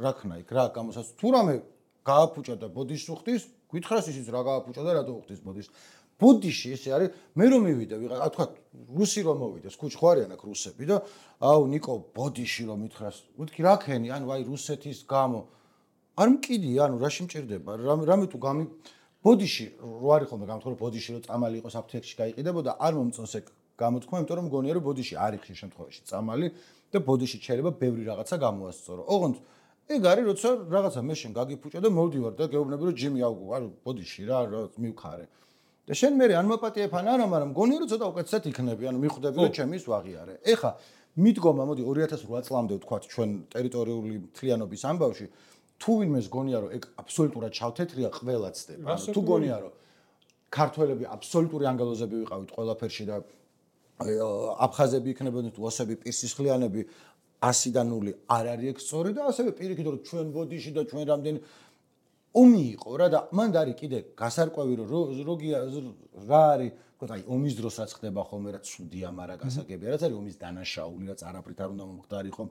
რა ქნა იქ, რა გამოსას თუ რამე გააფუჭა და ბოდიშს უხდის, გითხრას ისიც რა გააფუჭა და რატო უხდის ბოდიშს. ბოდიში ესე არის, მე რომ მივიდე ვიღა, თქვა რუსი რომ მოვიდეს, კუჩ ხო არიან აქ რუსები და აუ ნიკო ბოდიში რომ მითხრას, მეთქი რა ქენი, ანუ აი რუსეთის გამო არ მკიდი, ანუ რაში მჭირდება, რამე თუ ბოდიში რო არის ხოლმე გამთხოვრო ბოდიში რო წამალი იყოს აფთიაქში გაიყიდებოდა არ მომწონს ეგ გამოთქმა, იმიტომ რომ მგონია რომ ბოდიში არის ხშირ შემთხვევაში წამალი და ბოდიში შეიძლება ბევრი რაღაცა გამოასწორო. ოღონდ ეგ არის როცა რაღაცა მე შენ გაგიფუჭე და მოვდივარ და გეუბნები რომ ჯიმი არ ბოდიში რა მივხარე. და შენ მე ან მოპატიებ ან არა, მაგრამ მგონია რომ ცოტა უკეთესად იქნები, ანუ მიხვდები რომ ჩემი ის ვაღიარე. ეხა მიდგომა მოდი 2008 წლამდე ვთქვათ ჩვენ ტერიტორიული მთლიანობის ამბავში თუ ვინმეს გონია რომ ეგ აბსოლუტურად ჩავთეთრია ყველა ცდება. ანუ თუ გონია რომ ქართველები აბსოლუტური ანგელოზები ვიყავით ყველაფერში და აფხაზები იქნებოდნენ თუ ოსები პირსისხლიანები 100-დან 0 არ არის ეგ სწორი და ასევე პირიქით რომ ჩვენ ბოდიში და ჩვენ რამდენი ომი იყო რა და მანდ არის კიდე გასარკვევი რომ რა არის თქო აი ომის დროს რაც ხდება ხოლმე რა ცუდია მაგრამ გასაგებია რაც არის ომის დანაშაული რაც არაფრით არ უნდა მომხდარიყო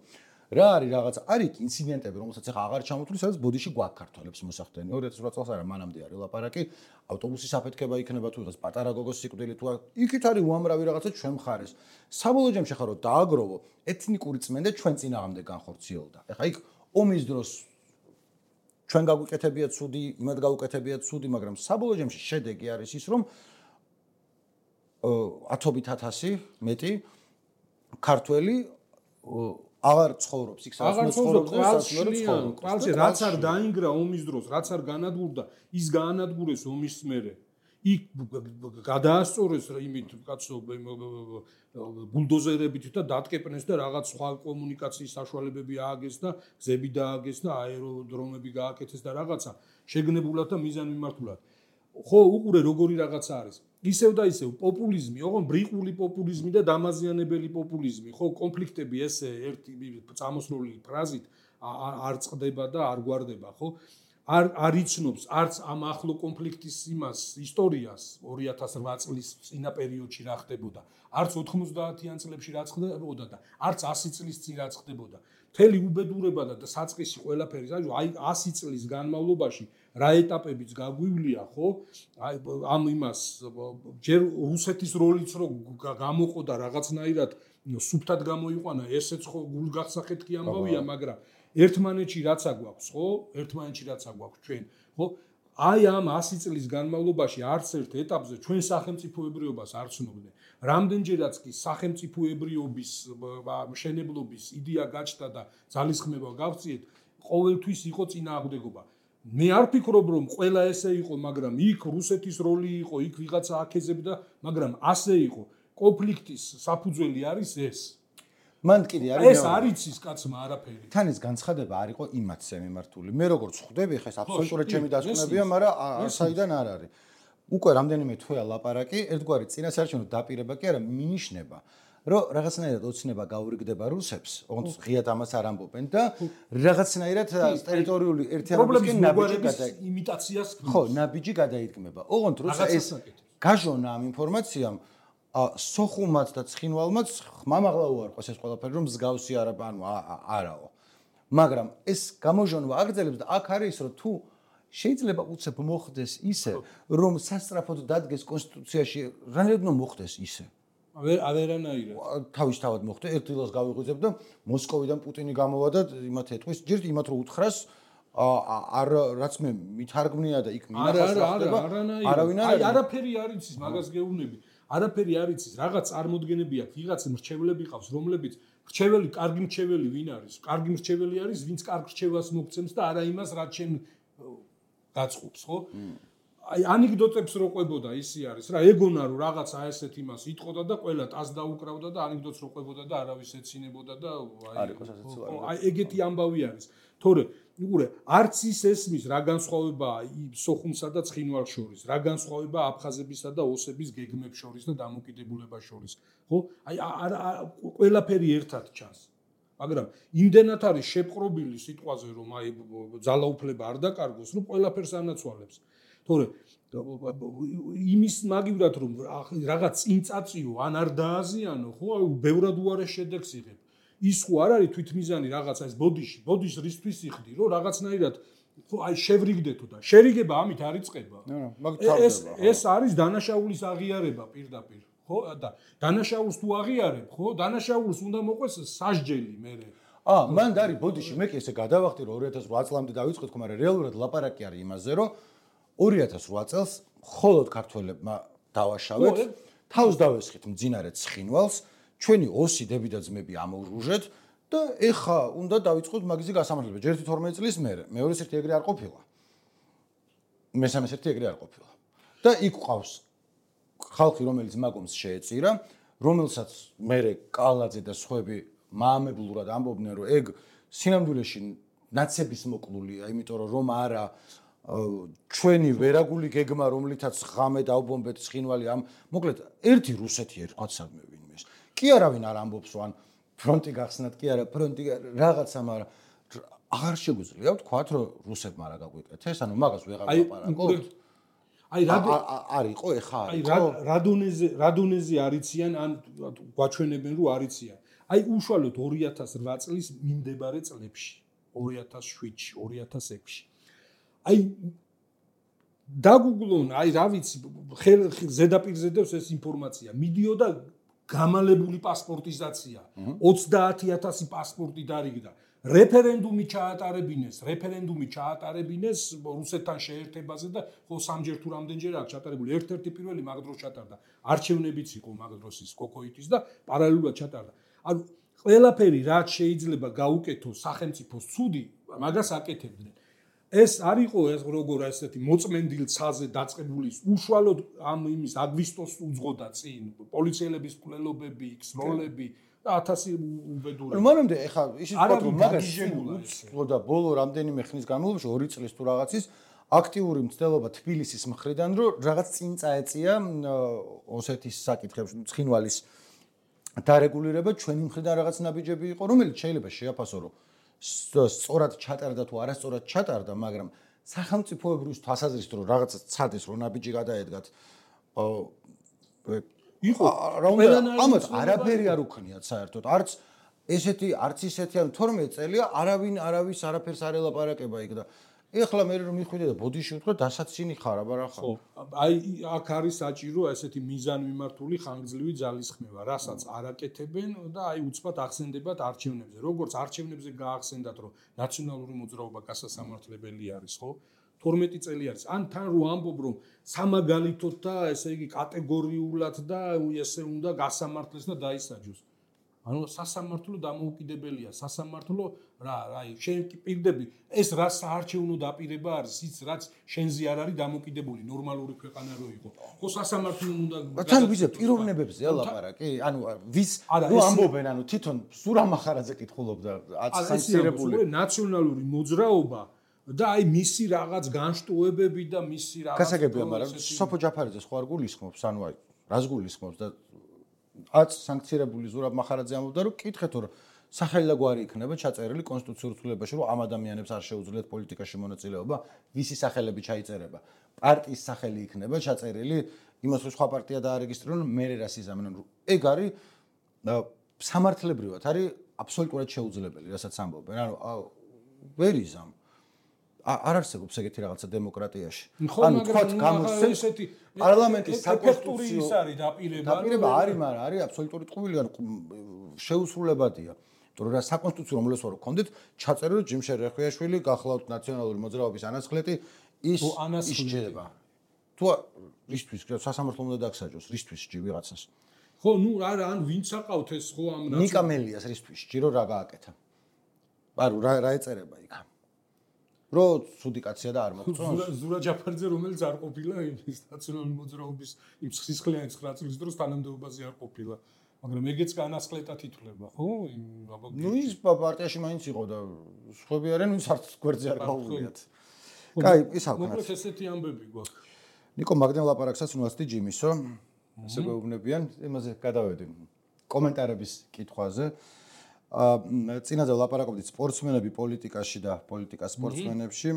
რა არის რაღაცა არის ინციდენტები რომელსაც ახლა აღარ ჩამოთვლი სადაც ბოდიში გვაქვს ქართველებს მოსახდენი 2008 წელს არა მანამდე არის ლაპარაკი ავტობუსის აფეთქება იქნება თუ იღოს პატარა გოგოს სიკვდილი თუ იქით არის უამრავი რაღაცა ჩვენ მხარეს საბოლოო ჯამში ხარო დააგროვო ეთნიკური წმენდა ჩვენ წინააღმდეგ განხორციელდა ეხლა იქ ომის დროს ჩვენ გაგვიკეთებია ცუდი იმად გაუკეთებია ცუდი მაგრამ საბოლოო ჯამში შედეგი არის ის რომ 10,000 მეტი ქართველი აღარ ცხოვრობს იქ სადაც ცხოვრობს კვალში რაც არ დაინგრა ომის დროს რაც არ განადგურდა ის გაანადგურეს ომის მერე იქ გადაასწორეს იმით კაცო ბულდოზერებით და დატკეპნეს და რაღაც სხვა კომუნიკაციის საშუალებები ააგეს და გზები დააგეს და აეროდრომები გააკეთეს და რაღაცა შეგნებულად და მიზანმიმართულად ხო უყურე როგორი რაღაცა არის ისევ და ისევ პოპულიზმი, ოღონ ბრიყული პოპულიზმი და დამაზიანებელი პოპულიზმი, ხო, კონფლიქტები ესე ერთი წამოსროლი ფრაზით არ წყდება და არ გვარდება, ხო? არ იცნობს არც ამ ახლო კონფლიქტის იმას ისტორიას 2008 წლის წინა პერიოდში რა ხდებოდა, არც 90-იან წლებში რა ხდებოდა და არც 100 წლის წინ რა ხდებოდა. მთელი უბედურება და საწყისი ყველაფერი, აი 100 წლის განმავლობაში რა ეტაპებიც გაგვივლია, ხო? აი ამ იმას ჯერ რუსეთის როლიც რო გამოყო და რაღაცნაირად სუფთად გამოიყვანა, ესეც ხო გულგახსახეთ კი ამბავია, მაგრამ ერთმანეთში რაცა გვაქვს, ხო? ერთმანეთში რაცა გვაქვს ჩვენ, ხო? აი ამ 100 წლის განმავლობაში არც ერთ ეტაპზე ჩვენ სახელმწიფოებრიობას არ ცნობდნენ. რამდენჯერაც კი სახელმწიფოებრიობის მშენებლობის იდეა გაჩნდა და ძალისხმევა გავწიეთ, ყოველთვის იყო წინააღმდეგობა. მე არ ფიქრობ რომ ყველა ესე იყო, მაგრამ იქ რუსეთის როლი იყო, იქ ვიღაცა აკეზებდა, მაგრამ ასე იყო. კონფლიქტის საფუძველი არის ეს. მან კიდე არის ეს არ იცის კაცმა არაფერი. თან ეს განცხადება არ იყო იმათზე მიმართული. მე როგორც ხვდები, ხა ეს აბსოლუტურად ჩემი დასკვნებია, მაგრამ საიდან არ არის. უკვე რამდენიმე თვეა ლაპარაკი, ერთგვარი წინასაარჩევნო დაპირება კი არა, მინიშნება, რომ რაღაცნაირად ოცნება გაურიგდება რუსებს, ოღონდ ღიად ამას არ ამბობენ და რაღაცნაირად ტერიტორიული ერთიანობისკენ ნაბიჯი იმიტაციას ხო, ნაბიჯი გადაიდგმება. ოღონდ როცა ეს გაჟონა ამ ინფორმაციამ სოხუმაც და ცხინვალმაც ხმამაღლა უარყვეს ეს ყველაფერი რომ მსგავსი არაო. მაგრამ ეს გამოჟონვა აგრძელებს და აქ არის რომ თუ შეიძლება უცებ მოხდეს ისე რომ სასწრაფოდ დადგეს კონსტიტუციაში რანაირად მოხდეს ისე ავერანაირად თავისთავად მოხდა ერთ დილას გავიღვიძებ და მოსკოვიდან პუტინი გამოვა და იმათ ეთქვის ჯერ იმათ რომ უთხრას არ რაც მე მithარგმნია და იქ მინახავს რა ხდება არავინ არაფერი არ იცის მაგას გეუბნები არაფერი არ იცის რაღაც წარმოდგენები აქვს ვიღაც მრჩევლები ყავს რომლებიც მრჩეველი კარგი მრჩეველი ვინ არის კარგი მრჩეველი არის ვინც კარგ მრჩევას მოგცემს და არა იმას რაც შენ გაწყობს ხო აი ანეკდოტებს რო ყვებოდა ისი არის რა ეგონა რომ რაღაცა ესეთ იმას იტყოდა და ყველა ტას დაუკრავდა და ანეკდოტს რო ყვებოდა და არავის ეცინებოდა და აი ეგეთი ამბავი არის თორე უყურე არც ის ესმის რა განსხვავებაა სოხუმსა და ცხინვალს შორის რა განსხვავებაა აფხაზებისა და ოსების გეგმებს შორის და დამოკიდებულებას შორის ხო აი ყველაფერი ერთად ჩანს მაგრამ იმდენად არის შეპყრობილი სიტყვაზე რომ აი ძალაუფლება არ დაკარგოს რომ ყველაფერს ანაცვალებს თორე იმის მაგივრად რომ რაღაც წინ წაწიო ან არ დააზიანო ხო აი ბევრად უარეს შედეგს იღებ ის ხო არ არის თვითმიზანი რაღაცა ეს ბოდიშ რისთვის იხდი რომ რაღაცნაირად ხო აი შევრიგდეთო და შერიგება ამით არ იწყება ეს არის დანაშაულის აღიარება პირდაპირ ხო და დანაშაულს თუ აღიარებ ხო დანაშაულს უნდა მოყვეს სასჯელი მერე მან არის ბოდიში მე კი ესე გადავახტი რომ 2008 წლამდე დავიწყეთ ხო მაგრამ რეალურად ლაპარაკი არის იმაზე რომ 2008 წელს მხოლოდ ქართველებმა დავაშავეთ თავს დავესხით მძინარე ცხინვალს, ჩვენი ოსი დები და ძმები ამოვრუჟეთ და ეხა უნდა დავიწყოთ მაგისი გასამართლება. ჯერ 12 წლის მერე, მეორე ერთი ეგრე არ ყოფილა. მესამე ერთი ეგრე არ ყოფილა. და იქ ყავს ხალხი, რომელიც მაგომს შეეწირა, რომელსაც მერე კალაძე და სხვები მაამებლურად ამბობდნენ, რომ ეგ სინამდვილეში ნაცების მოკლულია, იმიტომ რომ არა ჩვენი ვერაგული გეგმა, რომლითაც ღამე დავბომბეთ ცხინვალი ამ მოკლედ ერთი რუსეთი ერთგვარსადმე ვინმეს. კი არავინ არ ამბობს, რომ ან ფრონტი გახსნათ, კი არა ფრონტი რაღაცა, მაგრამ აღარ შეგვიძლია ვთქვათ, რომ რუსებმა რა გაგვიკეთეს, ანუ მაგას ვეღარ ვაპარაკობთ. აი არ იყო ეხა აი რადონეზე არიციან ან გვაჩვენებენ რომ არიციან. აი უშუალოდ 2008 წლის მიმდებარე წლებში, 2007-ში, 2006-ში. აი დაგუგლონ, აი რა ვიცი, ზედაპირზე დევს ეს ინფორმაცია. მიდიოდა გამალებული პასპორტიზაცია. 30000 პასპორტი დარიგდა. რეფერენდუმი ჩაატარებინეს რუსეთთან შეერთებაზე და ხო სამჯერ თუ რამდენჯერ აქვს ჩატარებული. ერთ-ერთი პირველი მაგ დროს ჩატარდა. არჩევნებიც იყო მაგ დროს ის კოკოიტის და პარალელურად ჩატარდა. ანუ ყველაფერი რაც შეიძლება გაუკეთოს სახელმწიფოს ცუდი, მაგას აკეთებდნენ. ეს არ იყო ეს როგორ ასეთი მოწმენდილ ცაზე დაწყებული უშუალოდ ამ იმის აგვისტოს უძღოდა წინ პოლიციელების მკვლელობები, ქსროლები და 1000 უბედურება. მანამდე ეხა ისიც ვთქვათ რომ მაგას უძღოდა ბოლო რამდენიმე ხნის განმავლობაში 2 წლის თუ რაღაცის აქტიური მცდელობა თბილისის მხრიდან რომ რაღაც წინ წაეწია ოსეთის საკითხებში ცხინვალის დარეგულირება ჩვენი მხრიდან რაღაც ნაბიჯები იყო რომელიც შეიძლება შეაფასო რომ სწორად ჩატარდა თუ არასწორად ჩატარდა, მაგრამ სახელმწიფოებრივ თვალსაზრისით რომ რაღაცა ცადეს რომ ნაბიჯი გადაედგათ იყო ამათ არაფერი არ უქნიათ საერთოდ არც ესეთი არც ისეთი ან 12 წელია არავინ არავის არაფერს არ ელაპარაკება იქ და ეხლა მე რომ მიხვიდე და ბოდიში ვთქვა დასაცინი ხარ აბარა ხარ. ხო, აი აქ არის საჭირო ესეთი მიზანმიმართული ხანგრძლივი ძალისხმევა, რასაც არაკეთებენ და აი უცბად ახსენდებათ არჩევნებზე. როგორც არჩევნებზე გაახსენდათ, რომ ნაციონალური მოძრაობა გასასამართლებელი არის, ხო? 12 წელი არის. ან თან რო ამბობ, რომ სამაგალითოდ და ესე იგი კატეგორიულად და ესე უნდა გასამართლეს და დაისაჯოს. ანუ სასამართლო დამოუკიდებელია, სასამართლო აი შენ კი პირდები ეს რა საარჩევნო დაპირება არის, ის რაც შენზე არ არის დამოუკიდებული, ნორმალური ქვეყანა რო იყო. ხო სასამართლო უნდა თან ვიზე პიროვნებებზე ელაპარაკი, ანუ ვის რო ამბობენ, ანუ თვითონ სურამ ახარაძე კითხულობდა აცანცირებული ნაციონალური მოძრაობა და აი მისი რაღაც განშტოებები და მისი რაღაც გასაგებია, მაგრამ სოფო ჯაფარიძე სხვა არ გულისხმობს, ანუ აი რას გულისხმობს და აც სანქცირებული ზურაბ მახარაძე ამბობდა რომ კითხეთ რომ სახელი და გვარი იქნება ჩაწერილი კონსტიტუციურ ცვლილებაში რომ ამ ადამიანებს არ შეუძლიათ პოლიტიკაში მონაწილეობა ვისი სახელები ჩაიწერება პარტიის სახელი იქნება ჩაწერილი იმას რომ სხვა პარტია დაარეგისტრირონ მე რას იზამენ ეგ არის სამართლებრივად არის აბსოლუტურად შეუძლებელი რასაც ამბობენ ანუ ვერ იზამ არ არსებობს ეგეთი რაღაცა დემოკრატიაში. ანუ თქვათ გამოსცემ ესეთი პარლამენტის საკონსტიტუციო ის არის დაპირება. დაპირება არის, მაგრამ არის აბსოლუტური ტყუილი, ანუ შეუსრულებადია. იმიტომ რომ საკონსტიტუციო რომელსაც ვარ გქონდეთ, ჩაწერილი ჯიმშერ რეხვიაშვილი გახლავთ ნაციონალური მოძრაობის ანასხლეტი ის ისჯება. თუ რისთვის სასამართლო უნდა დაგსაჯოს, რისთვის სჯი ვიღაცას. ხო, ნუ არა, ან ვინც აყავთ ეს ხო ამ ნიკა მელიას რისთვის სჯირო რა გააკეთა. ანუ რა ეწერება იქ? რო ცუდი კაცია და არ მოგწონს ზურა ჯაფარიძე რომელიც არ ყოფილა ის ნაციონალური მოძრაობის იმ სისხლიანი 9 წლის დროს თანამდებობაზე არ ყოფილა მაგრამ ეგეც განასხლეტად ითვლება ხო ნუ ის პარტიაში მაინც იყო და სხვები არიან ვინც არც გვერდზე არ გაუვლიათ კაი ის ახლა მოკლედ ესეთი ამბები გვაქვს ნიკო მაგდენ ლაპარაკსაც უნდათ ჯიმისო ესე გვეუბნებიან იმაზე გადავედი კომენტარების კითხვაზე წინაზე ლაპარაკობდით სპორტსმენები პოლიტიკაში და პოლიტიკა სპორტსმენებში.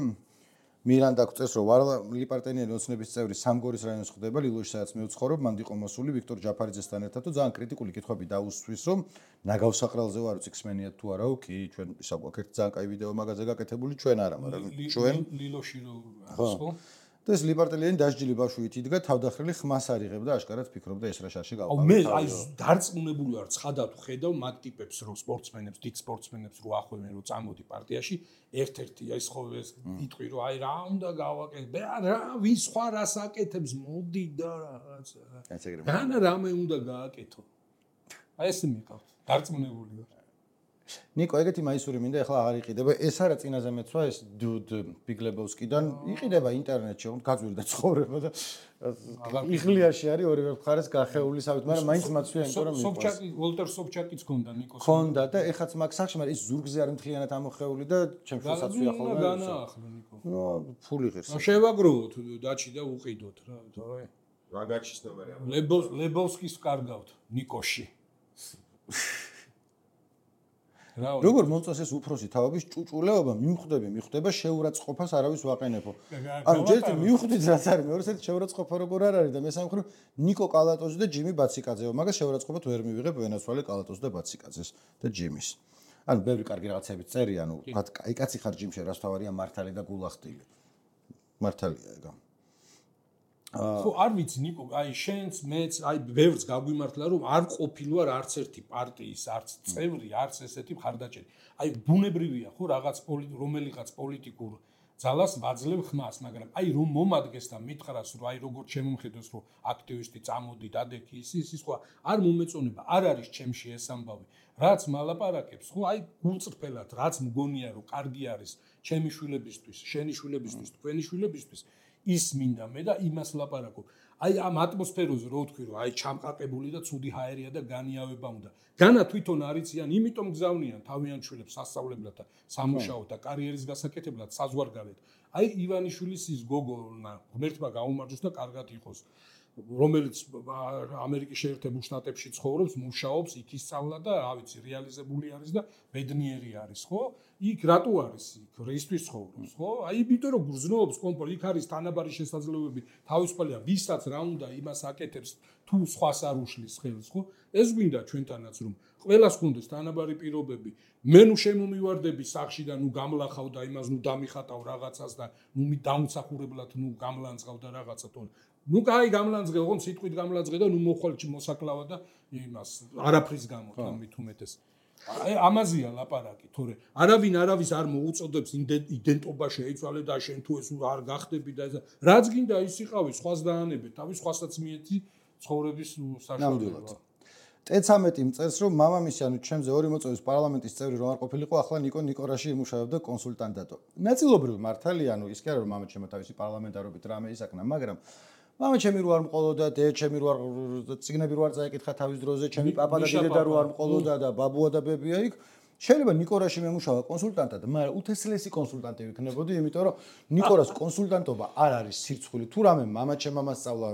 მირანდა გვწევს რომ ვარლი პარტენიანი ოცნების წევრი სამგორის რაიონის ხდება ლილოში სადაც მე ვცხოვრობ მანდ იყო მოსული ვიქტორ ჯაფარიძესთან ერთად და ძალიან კრიტიკული კითხვები დაუსვრის რომ ნაგავსაყრელზე ვარ უციხსმენიათ თუ არაო კი ჩვენ ისაგვაქვს ერთი ძალიან კაი ვიდეო მაგაზე გაკეთებული ჩვენ არა მაგრამ ჩვენ ლილოში რო ხო და ეს ლიბარტელიანი დასჯილი ბავშვით იდგა თავდახრილი ხმას არიღებდა აშკარად ფიქრობდა ეს რა შარში გავყავდა. მე აი დარწმუნებული ვარ ცხადად ხედავ მაგ ტიპებს რო სპორტსმენებს, დიდ სპორტსმენებს რო ახვევენ რო წამოდი პარტიაში, ერთ-ერთი ის ხო ეს იტყვი რომ აი რა უნდა გავაკეთო, რა ვის სხვა რას აკეთებს, მოდი და რაღაცა. რამე უნდა გააკეთო. აი ეს მიყავთ. დარწმუნებული ვარ. ნიკო, ეგეთი მაისური მინდა ახლა აღარ იყიდება. ეს არა წინაზე მეცვა ეს დუდ ბიგლებოვსკიდან იყიდება ინტერნეტში, გაძვირდა ცხოვრება და იღლიაში არის ორივე მხარეს გახეული სამით, მაგრამ მაინც მაცვია იმიტომ რომ სოფჩაკი, ვოლტერ სოფჩაკიც ქონდა ნიკოს. ქონდა და ეხაც მაგ სახში, მაგრამ ის ზურგზე არ მთლიანად ამოხეული და ჩემს შესაძლოა ხოლმე. განაახლო ნიკო. ნუ ფული ღირს. შევაგროვოთ დაჩი და უყიდოთ რა, თორე რა გაჩისნობარი ამ. ლებოვსკის ვკარგავთ ნიკოში. როგორ მომწონს ეს უფროსი თავების ჭუჭულეობა მიხვდება შეურაცხყოფას არავის ვაყენებო. ანუ ჯერ მივხვდით რაც არის, მეორე საერთოდ შეურაცხყოფა როგორ არ არის და მესამე მხრივ ნიკო კალატოზი და ჯიმი ბაციკაძეო, მაგას შეურაცხყოფად ვერ მივიღებ ვენაცვალე კალატოზს და ბაციკაძეს და ჯიმის. ანუ ბევრი კარგი რაღაცებიც წერი, ანუ აი კაცი ხარ ჯიმში, რას თავარია მართალი და გულახტილი. მართალია ეგა. ხო არ ვიცი ნიკო, აი შენც მეც აი ბევრს გაგვიმართლა რომ არ ყოფილვარ არც ერთი პარტიის, არც წევრი, არც ესეთი მხარდაჭერი. აი ბუნებრივია ხო რაღაც რომელიღაც პოლიტიკურ ძალას ვაძლევ ხმას, მაგრამ აი რომ მომადგეს და მითხრას რომ აი როგორ შემომხედოს რომ აქტივისტი წამოდი დადექი ის სხვა არ მომეწონება, არ არის ჩემში ეს ამბავი. რაც მალაპარაკებს, ხო აი გულწრფელად, რაც მგონია რომ კარგი არის ჩემი შვილებისთვის, შენი შვილებისთვის, თქვენი შვილებისთვის ის მინდა მე და იმას ლაპარაკობ. აი ამ ატმოსფეროზე რო ვთქვი რომ აი ჩამყაკებული და ცუდი ჰაერია და განიავება უნდა. განა თვითონ არიციან, იმიტომ გზავნიან თავიანთ შვილებს სასწავლებლად და სამუშაოდ და კარიერის გასაკეთებლად საზღვარგარეთ. აი ივანიშვილის ის გოგონა ღმერთმა გაუმარჯოს და კარგად იყოს. რომელიც ამერიკის შეერთებულ შტატებში ცხოვრობს, მუშაობს, იქ ისწავლა და რა ვიცი, რეალიზებული არის და ბედნიერი არის, ხო? იქ რატო არის იქ? რისთვის ცხოვრობს, ხო? აი იმიტომ რომ გრძნობს კომფორტ, იქ არის თანაბარი შესაძლებლობები, თავისუფალია, ვისაც რა უნდა იმას აკეთებს, თუ სხვას არ უშლის ხელს, ხო? ეს გვინდა ჩვენთანაც რომ ყველას გქონდეს თანაბარი პირობები. მე ნუ შემომივარდები სახში და ნუ გამლახავ და იმას ნუ დამიხატავ რაღაცას და ნუ დამსახურებლად ნუ გამლანძღავ და რაღაცა თორე ნუ კაი გამლანძღე, ოღონდ სიტყვით გამლანძღე და ნუ მოხვალ მოსაკლავა და იმას არაფრის გამო თამით უმეტეს. აი ამაზეა ლაპარაკი, თორე არავინ არავის არ მოუწოდებს იდენტობა შეიცვალე და შენ თუ ეს არ გახდები და ეს რაც გინდა ის იყავი, სხვას დაანებე, თავის სხვასაც მიეცი ცხოვრების საშუალება. T13 მწერს რომ მამამისი ანუ ჩემზე 2 მოწვევის პარლამენტის წევრი რომ არ ყოფილიყო, ახლა ნიკორაში იმუშავებდა კონსულტანტად. ნაწილობრივ მართალია, ანუ ის კი არა რომ მამა ჩემო თავისი პარლამენტარობით რამე ისაკნა, მაგრამ მამა ჩემი რო არ მყოლოდა, დე ჩემი რო არ ციგნები რო არ წაეკითხა თავის დროზე, ჩემი პაპა და დედა რო არ მყოლოდა და ბაბუა და ბებია იქ. შეიძლება ნიკორაში მემუშავა კონსულტანტად, მაგრამ უთესლესი კონსულტანტი ვიქნებოდი, იმიტომ რომ ნიკორას კონსულტანტობა არ არის სირცხვილი. თუ რამე მამა ჩემმა სწავლა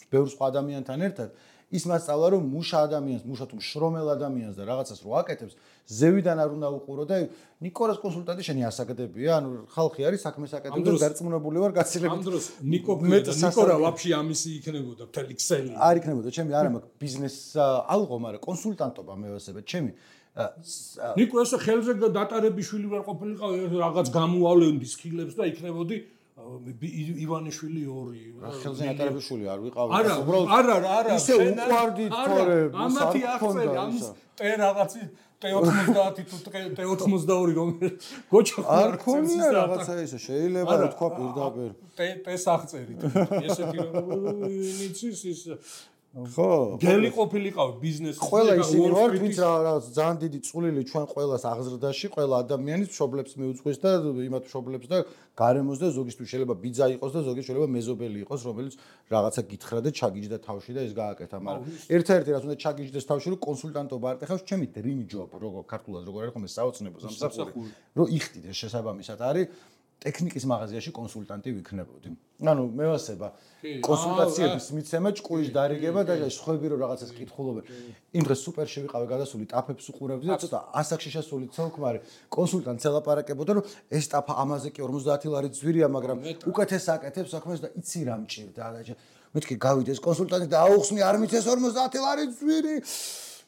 ბევრ სხვა ადამიანთან ერთად, ის მასწავლა რომ მუშა ადამიანს, მუშა თუ შრომელ ადამიანს და რაღაცას რო აკეთებს, ზევიდან არ უნდა უყურო და ნიკორას კონსულტანტი შენი ასაკდებია, ანუ ხალხი არის საქმეს აკეთებს და დარწმუნებული ვარ გაცილებით. ამ დროს ნიკორა ვაფშე ამისი იქნებოდა მთელი ქსელი. არ იქნებოდა, ჩემი არა მაქვს ბიზნეს ალღო, მაგრამ კონსულტანტობა მე ვასებებ, ჩემი ნიკო ესე ხელზე დატარებიშვილი ვარ ყოფილიყავ რაღაც გამოავლენდის ხილებს და იქნებოდი ივანიშვილი 2 ხელზე დატარებიშვილი არ ვიყავი არა ისე უყვარდით თორე ამათი აღწერი ამის ტე რაღაცი T90 თუ T82 რომ გოჩა არ ქონია რაღაცა ისე შეიძლება რა თქვა პირდაპირ ტეს აღწერით ესეთი რომ ნიცის ის ხო გელი ყოფილიყავ ბიზნესის ყველა ისინი ვარ ვინც რაღაც ძალიან დიდი წვლილი ჩვენ ყველას აღზრდაში ყველა ადამიანის მშობლებს მიუძღვის და იმათ მშობლებს და გარემოს და ზოგისთვის შეიძლება ბიძა იყოს და ზოგის შეიძლება მეზობელი იყოს რომელიც რაღაცა გითხრა და ჩაგიჯდა თავში და ეს გააკეთა მაგრამ ერთ-ერთი რაც უნდა ჩაგიჯდეს თავში რომ კონსულტანტობა არ ტეხავს ჩემი dream job როგორ ქართულად როგორ არის ხომ ეს საოცნებო სამსახური რომ იხდიდეს შესაბამისად არის ტექნიკის მაღაზიაში კონსულტანტი ვიქნებოდი. ანუ მე ვასება კონსულტაციების მიცემა, ჭკუის დარიგება და სხვები რომ რაღაცას კითხულობენ. იმ დღეს სუპერში ვიყავე გადასული ტაფებს უყურებდი და ცოტა ასაკში შესული ცოლქმარი კონსულტანტს ელაპარაკებოდა რომ ეს ტაფა ამაზე კი 50 ლარი ძვირია, მაგრამ უკეთეს აკეთებს საქმეს და იცი რა მჭირდა და მეთქი გავიდეს კონსულტანტი და აუხსნი არ მიცეს 50 ლარი ძვირი.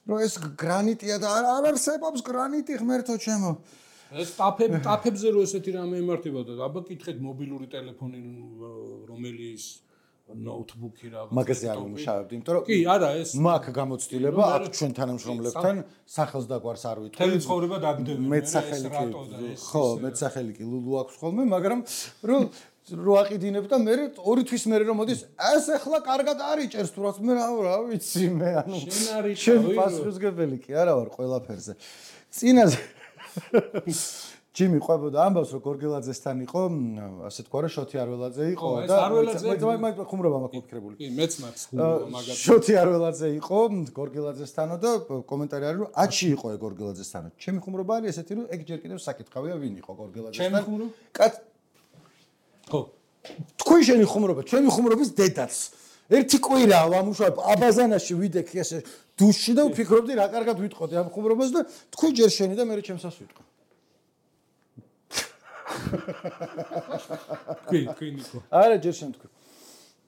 რომ ეს გრანიტია და არ არსებობს გრანიტი ღმერთო ჩემო. ეს ტაფებზე რო ესეთი რამე ემართებოდა, აბა კითხეთ მობილური ტელეფონი რომელიც ნოუთბუქი რაღაც მაგაზე არ ვიმუშავებდი, იმიტომ რომ კი, არა, ეს მაქვს გამოცდილება აქ ჩვენ თანამშრომლებთან სახელს დაგვარს არ ვიტყვი. თელი ცხოვრება დაგდები, მეტსახელი კი, ხო, მეტსახელი კი ლულუ აქვს ხოლმე, მაგრამ რო აყიდინებ და მე 2 თვის მერე რომ მოდის, ეს ახლა კარგად არიჭერს თუ რაც მე რა ვიცი მე, ანუ შენ პასუხისგებელი კი არა ვარ ყველაფერზე. წინაზე ჯიმი ყვებოდა ამბავს რომ გორგელაძესთან იყო, ასე თქვა რა შოთი არველაძე იყო და მე ხუმრობა მაქვს მოფიქრებული. კი, მეც მაქვს ხუმრობა მაგათ. შოთი არველაძე იყო გორგელაძესთანო და კომენტარი არის რომ აჩი იყო გორგელაძესთანო. ჩემი ხუმრობა არის ესეთი რომ ეგ ჯერ კიდევ საკითხავია ვინ იყო გორგელაძესთან. ჩემი ხუმრობა? ხო. თქვენ შენი ხუმრობა, ჩემი ხუმრობის დედაც. ერთი კვირაა ვამუშავებ აბაზანაში ვიდექი ესე დუშში და ვფიქრობდი რა კარგად ვიტყოდი ამ ხუმრობას და თქვენ ჯერ შენი და მე ჩემსას ვიტყვი. კი ნიკო. არა ჯერ შენ თქვი.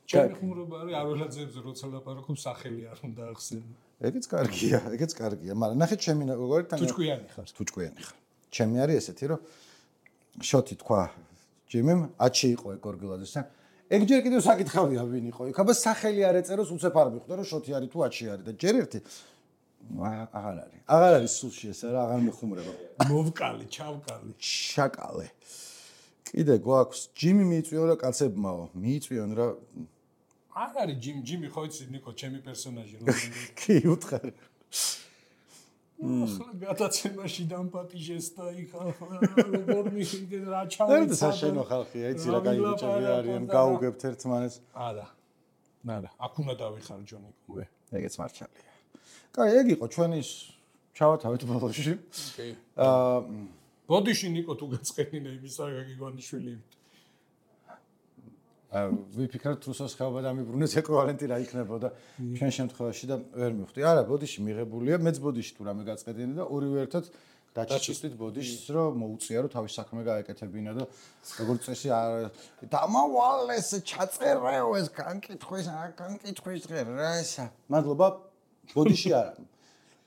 ჩემი ხუმრობა არის არველაძეებზე როცა ლაპარაკობ სახელი არ უნდა ახსენო. ეგეც კარგია, მაგრამ ნახეთ ჩემი როგორ თან თუჭკვიანი ხარ. ჩემი არის ესეთი რომ შოთი თქვა ჯიმიმ აჩი იყო გორგელაძესთან. ეგ ჯერ კიდევ საკითხავია ვინ იყო. იქ აბა სახელი არ ეწეროს უცებ არ მიხვდა რომ შოთი არის თუ აჩი არის და ჯერ ერთი აღარ არის სულში ეს რა აღარ მეხუმრება. მოვკალი, ჩავკალი. შაკალე. კიდე გვაქვს ჯიმი მიიწვიონ რა კაცებმაო. მიიწვიონ რა. არ არის ჯიმი ხო იცი ნიკო ჩემი პერსონაჟი რომელიც კი უთხარ. ახლა გადაცემაში დამპატიჟეს და იქ როგორ მიხიდე რა ჩავიცა. და საშენო ხალხია, იცი რა კაი ბიჭები არიან, გაუგებთ ერთმანეთს. არა. აქ უნდა დავიხარჯო ნიკო. ეგეც მარჩალია. კაი, ეგ იყო ჩვენი ჩავათავეთ ბოლოში. კი. ბოდიში ნიკო თუ გაწყენინა იმისა გიგონიშვილი. ვიფიქრეთ რუსოს ხეობა დამიბრუნეს ეკვივალენტი რა იქნებოდა ჩვენ შემთხვევაში და ვერ მივხვდი. არა, ბოდიში მიღებულია, მეც ბოდიში თუ რამე გაწყედინე და ორივე ერთად დაჩისტით ბოდიშს რომ მოუწია რომ თავის საქმე გაეკეთებინა და როგორც წესი არ დამავალეს ჩაწერეო ეს განკითხვის დღე რა ესა. მადლობა ბოდიში არა.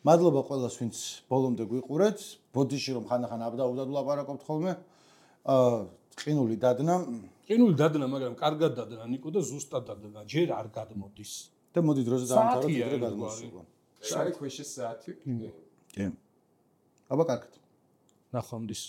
მადლობა ყველას ვინც ბოლომდე გვიყურეთ. ბოდიში რომ ხანდახან აბდაუდად ვლაპარაკობთ ხოლმე. ყინული დადნა, მაგრამ კარგად დადნა ნიკო და ზუსტად დადნა. ჯერ არ გადმოდის. და მოდი დროზე დავამთავროთ დღე გადმოსულა. შარი ქვეშე საათი. კი. აბა კარგად. ნახვამდის.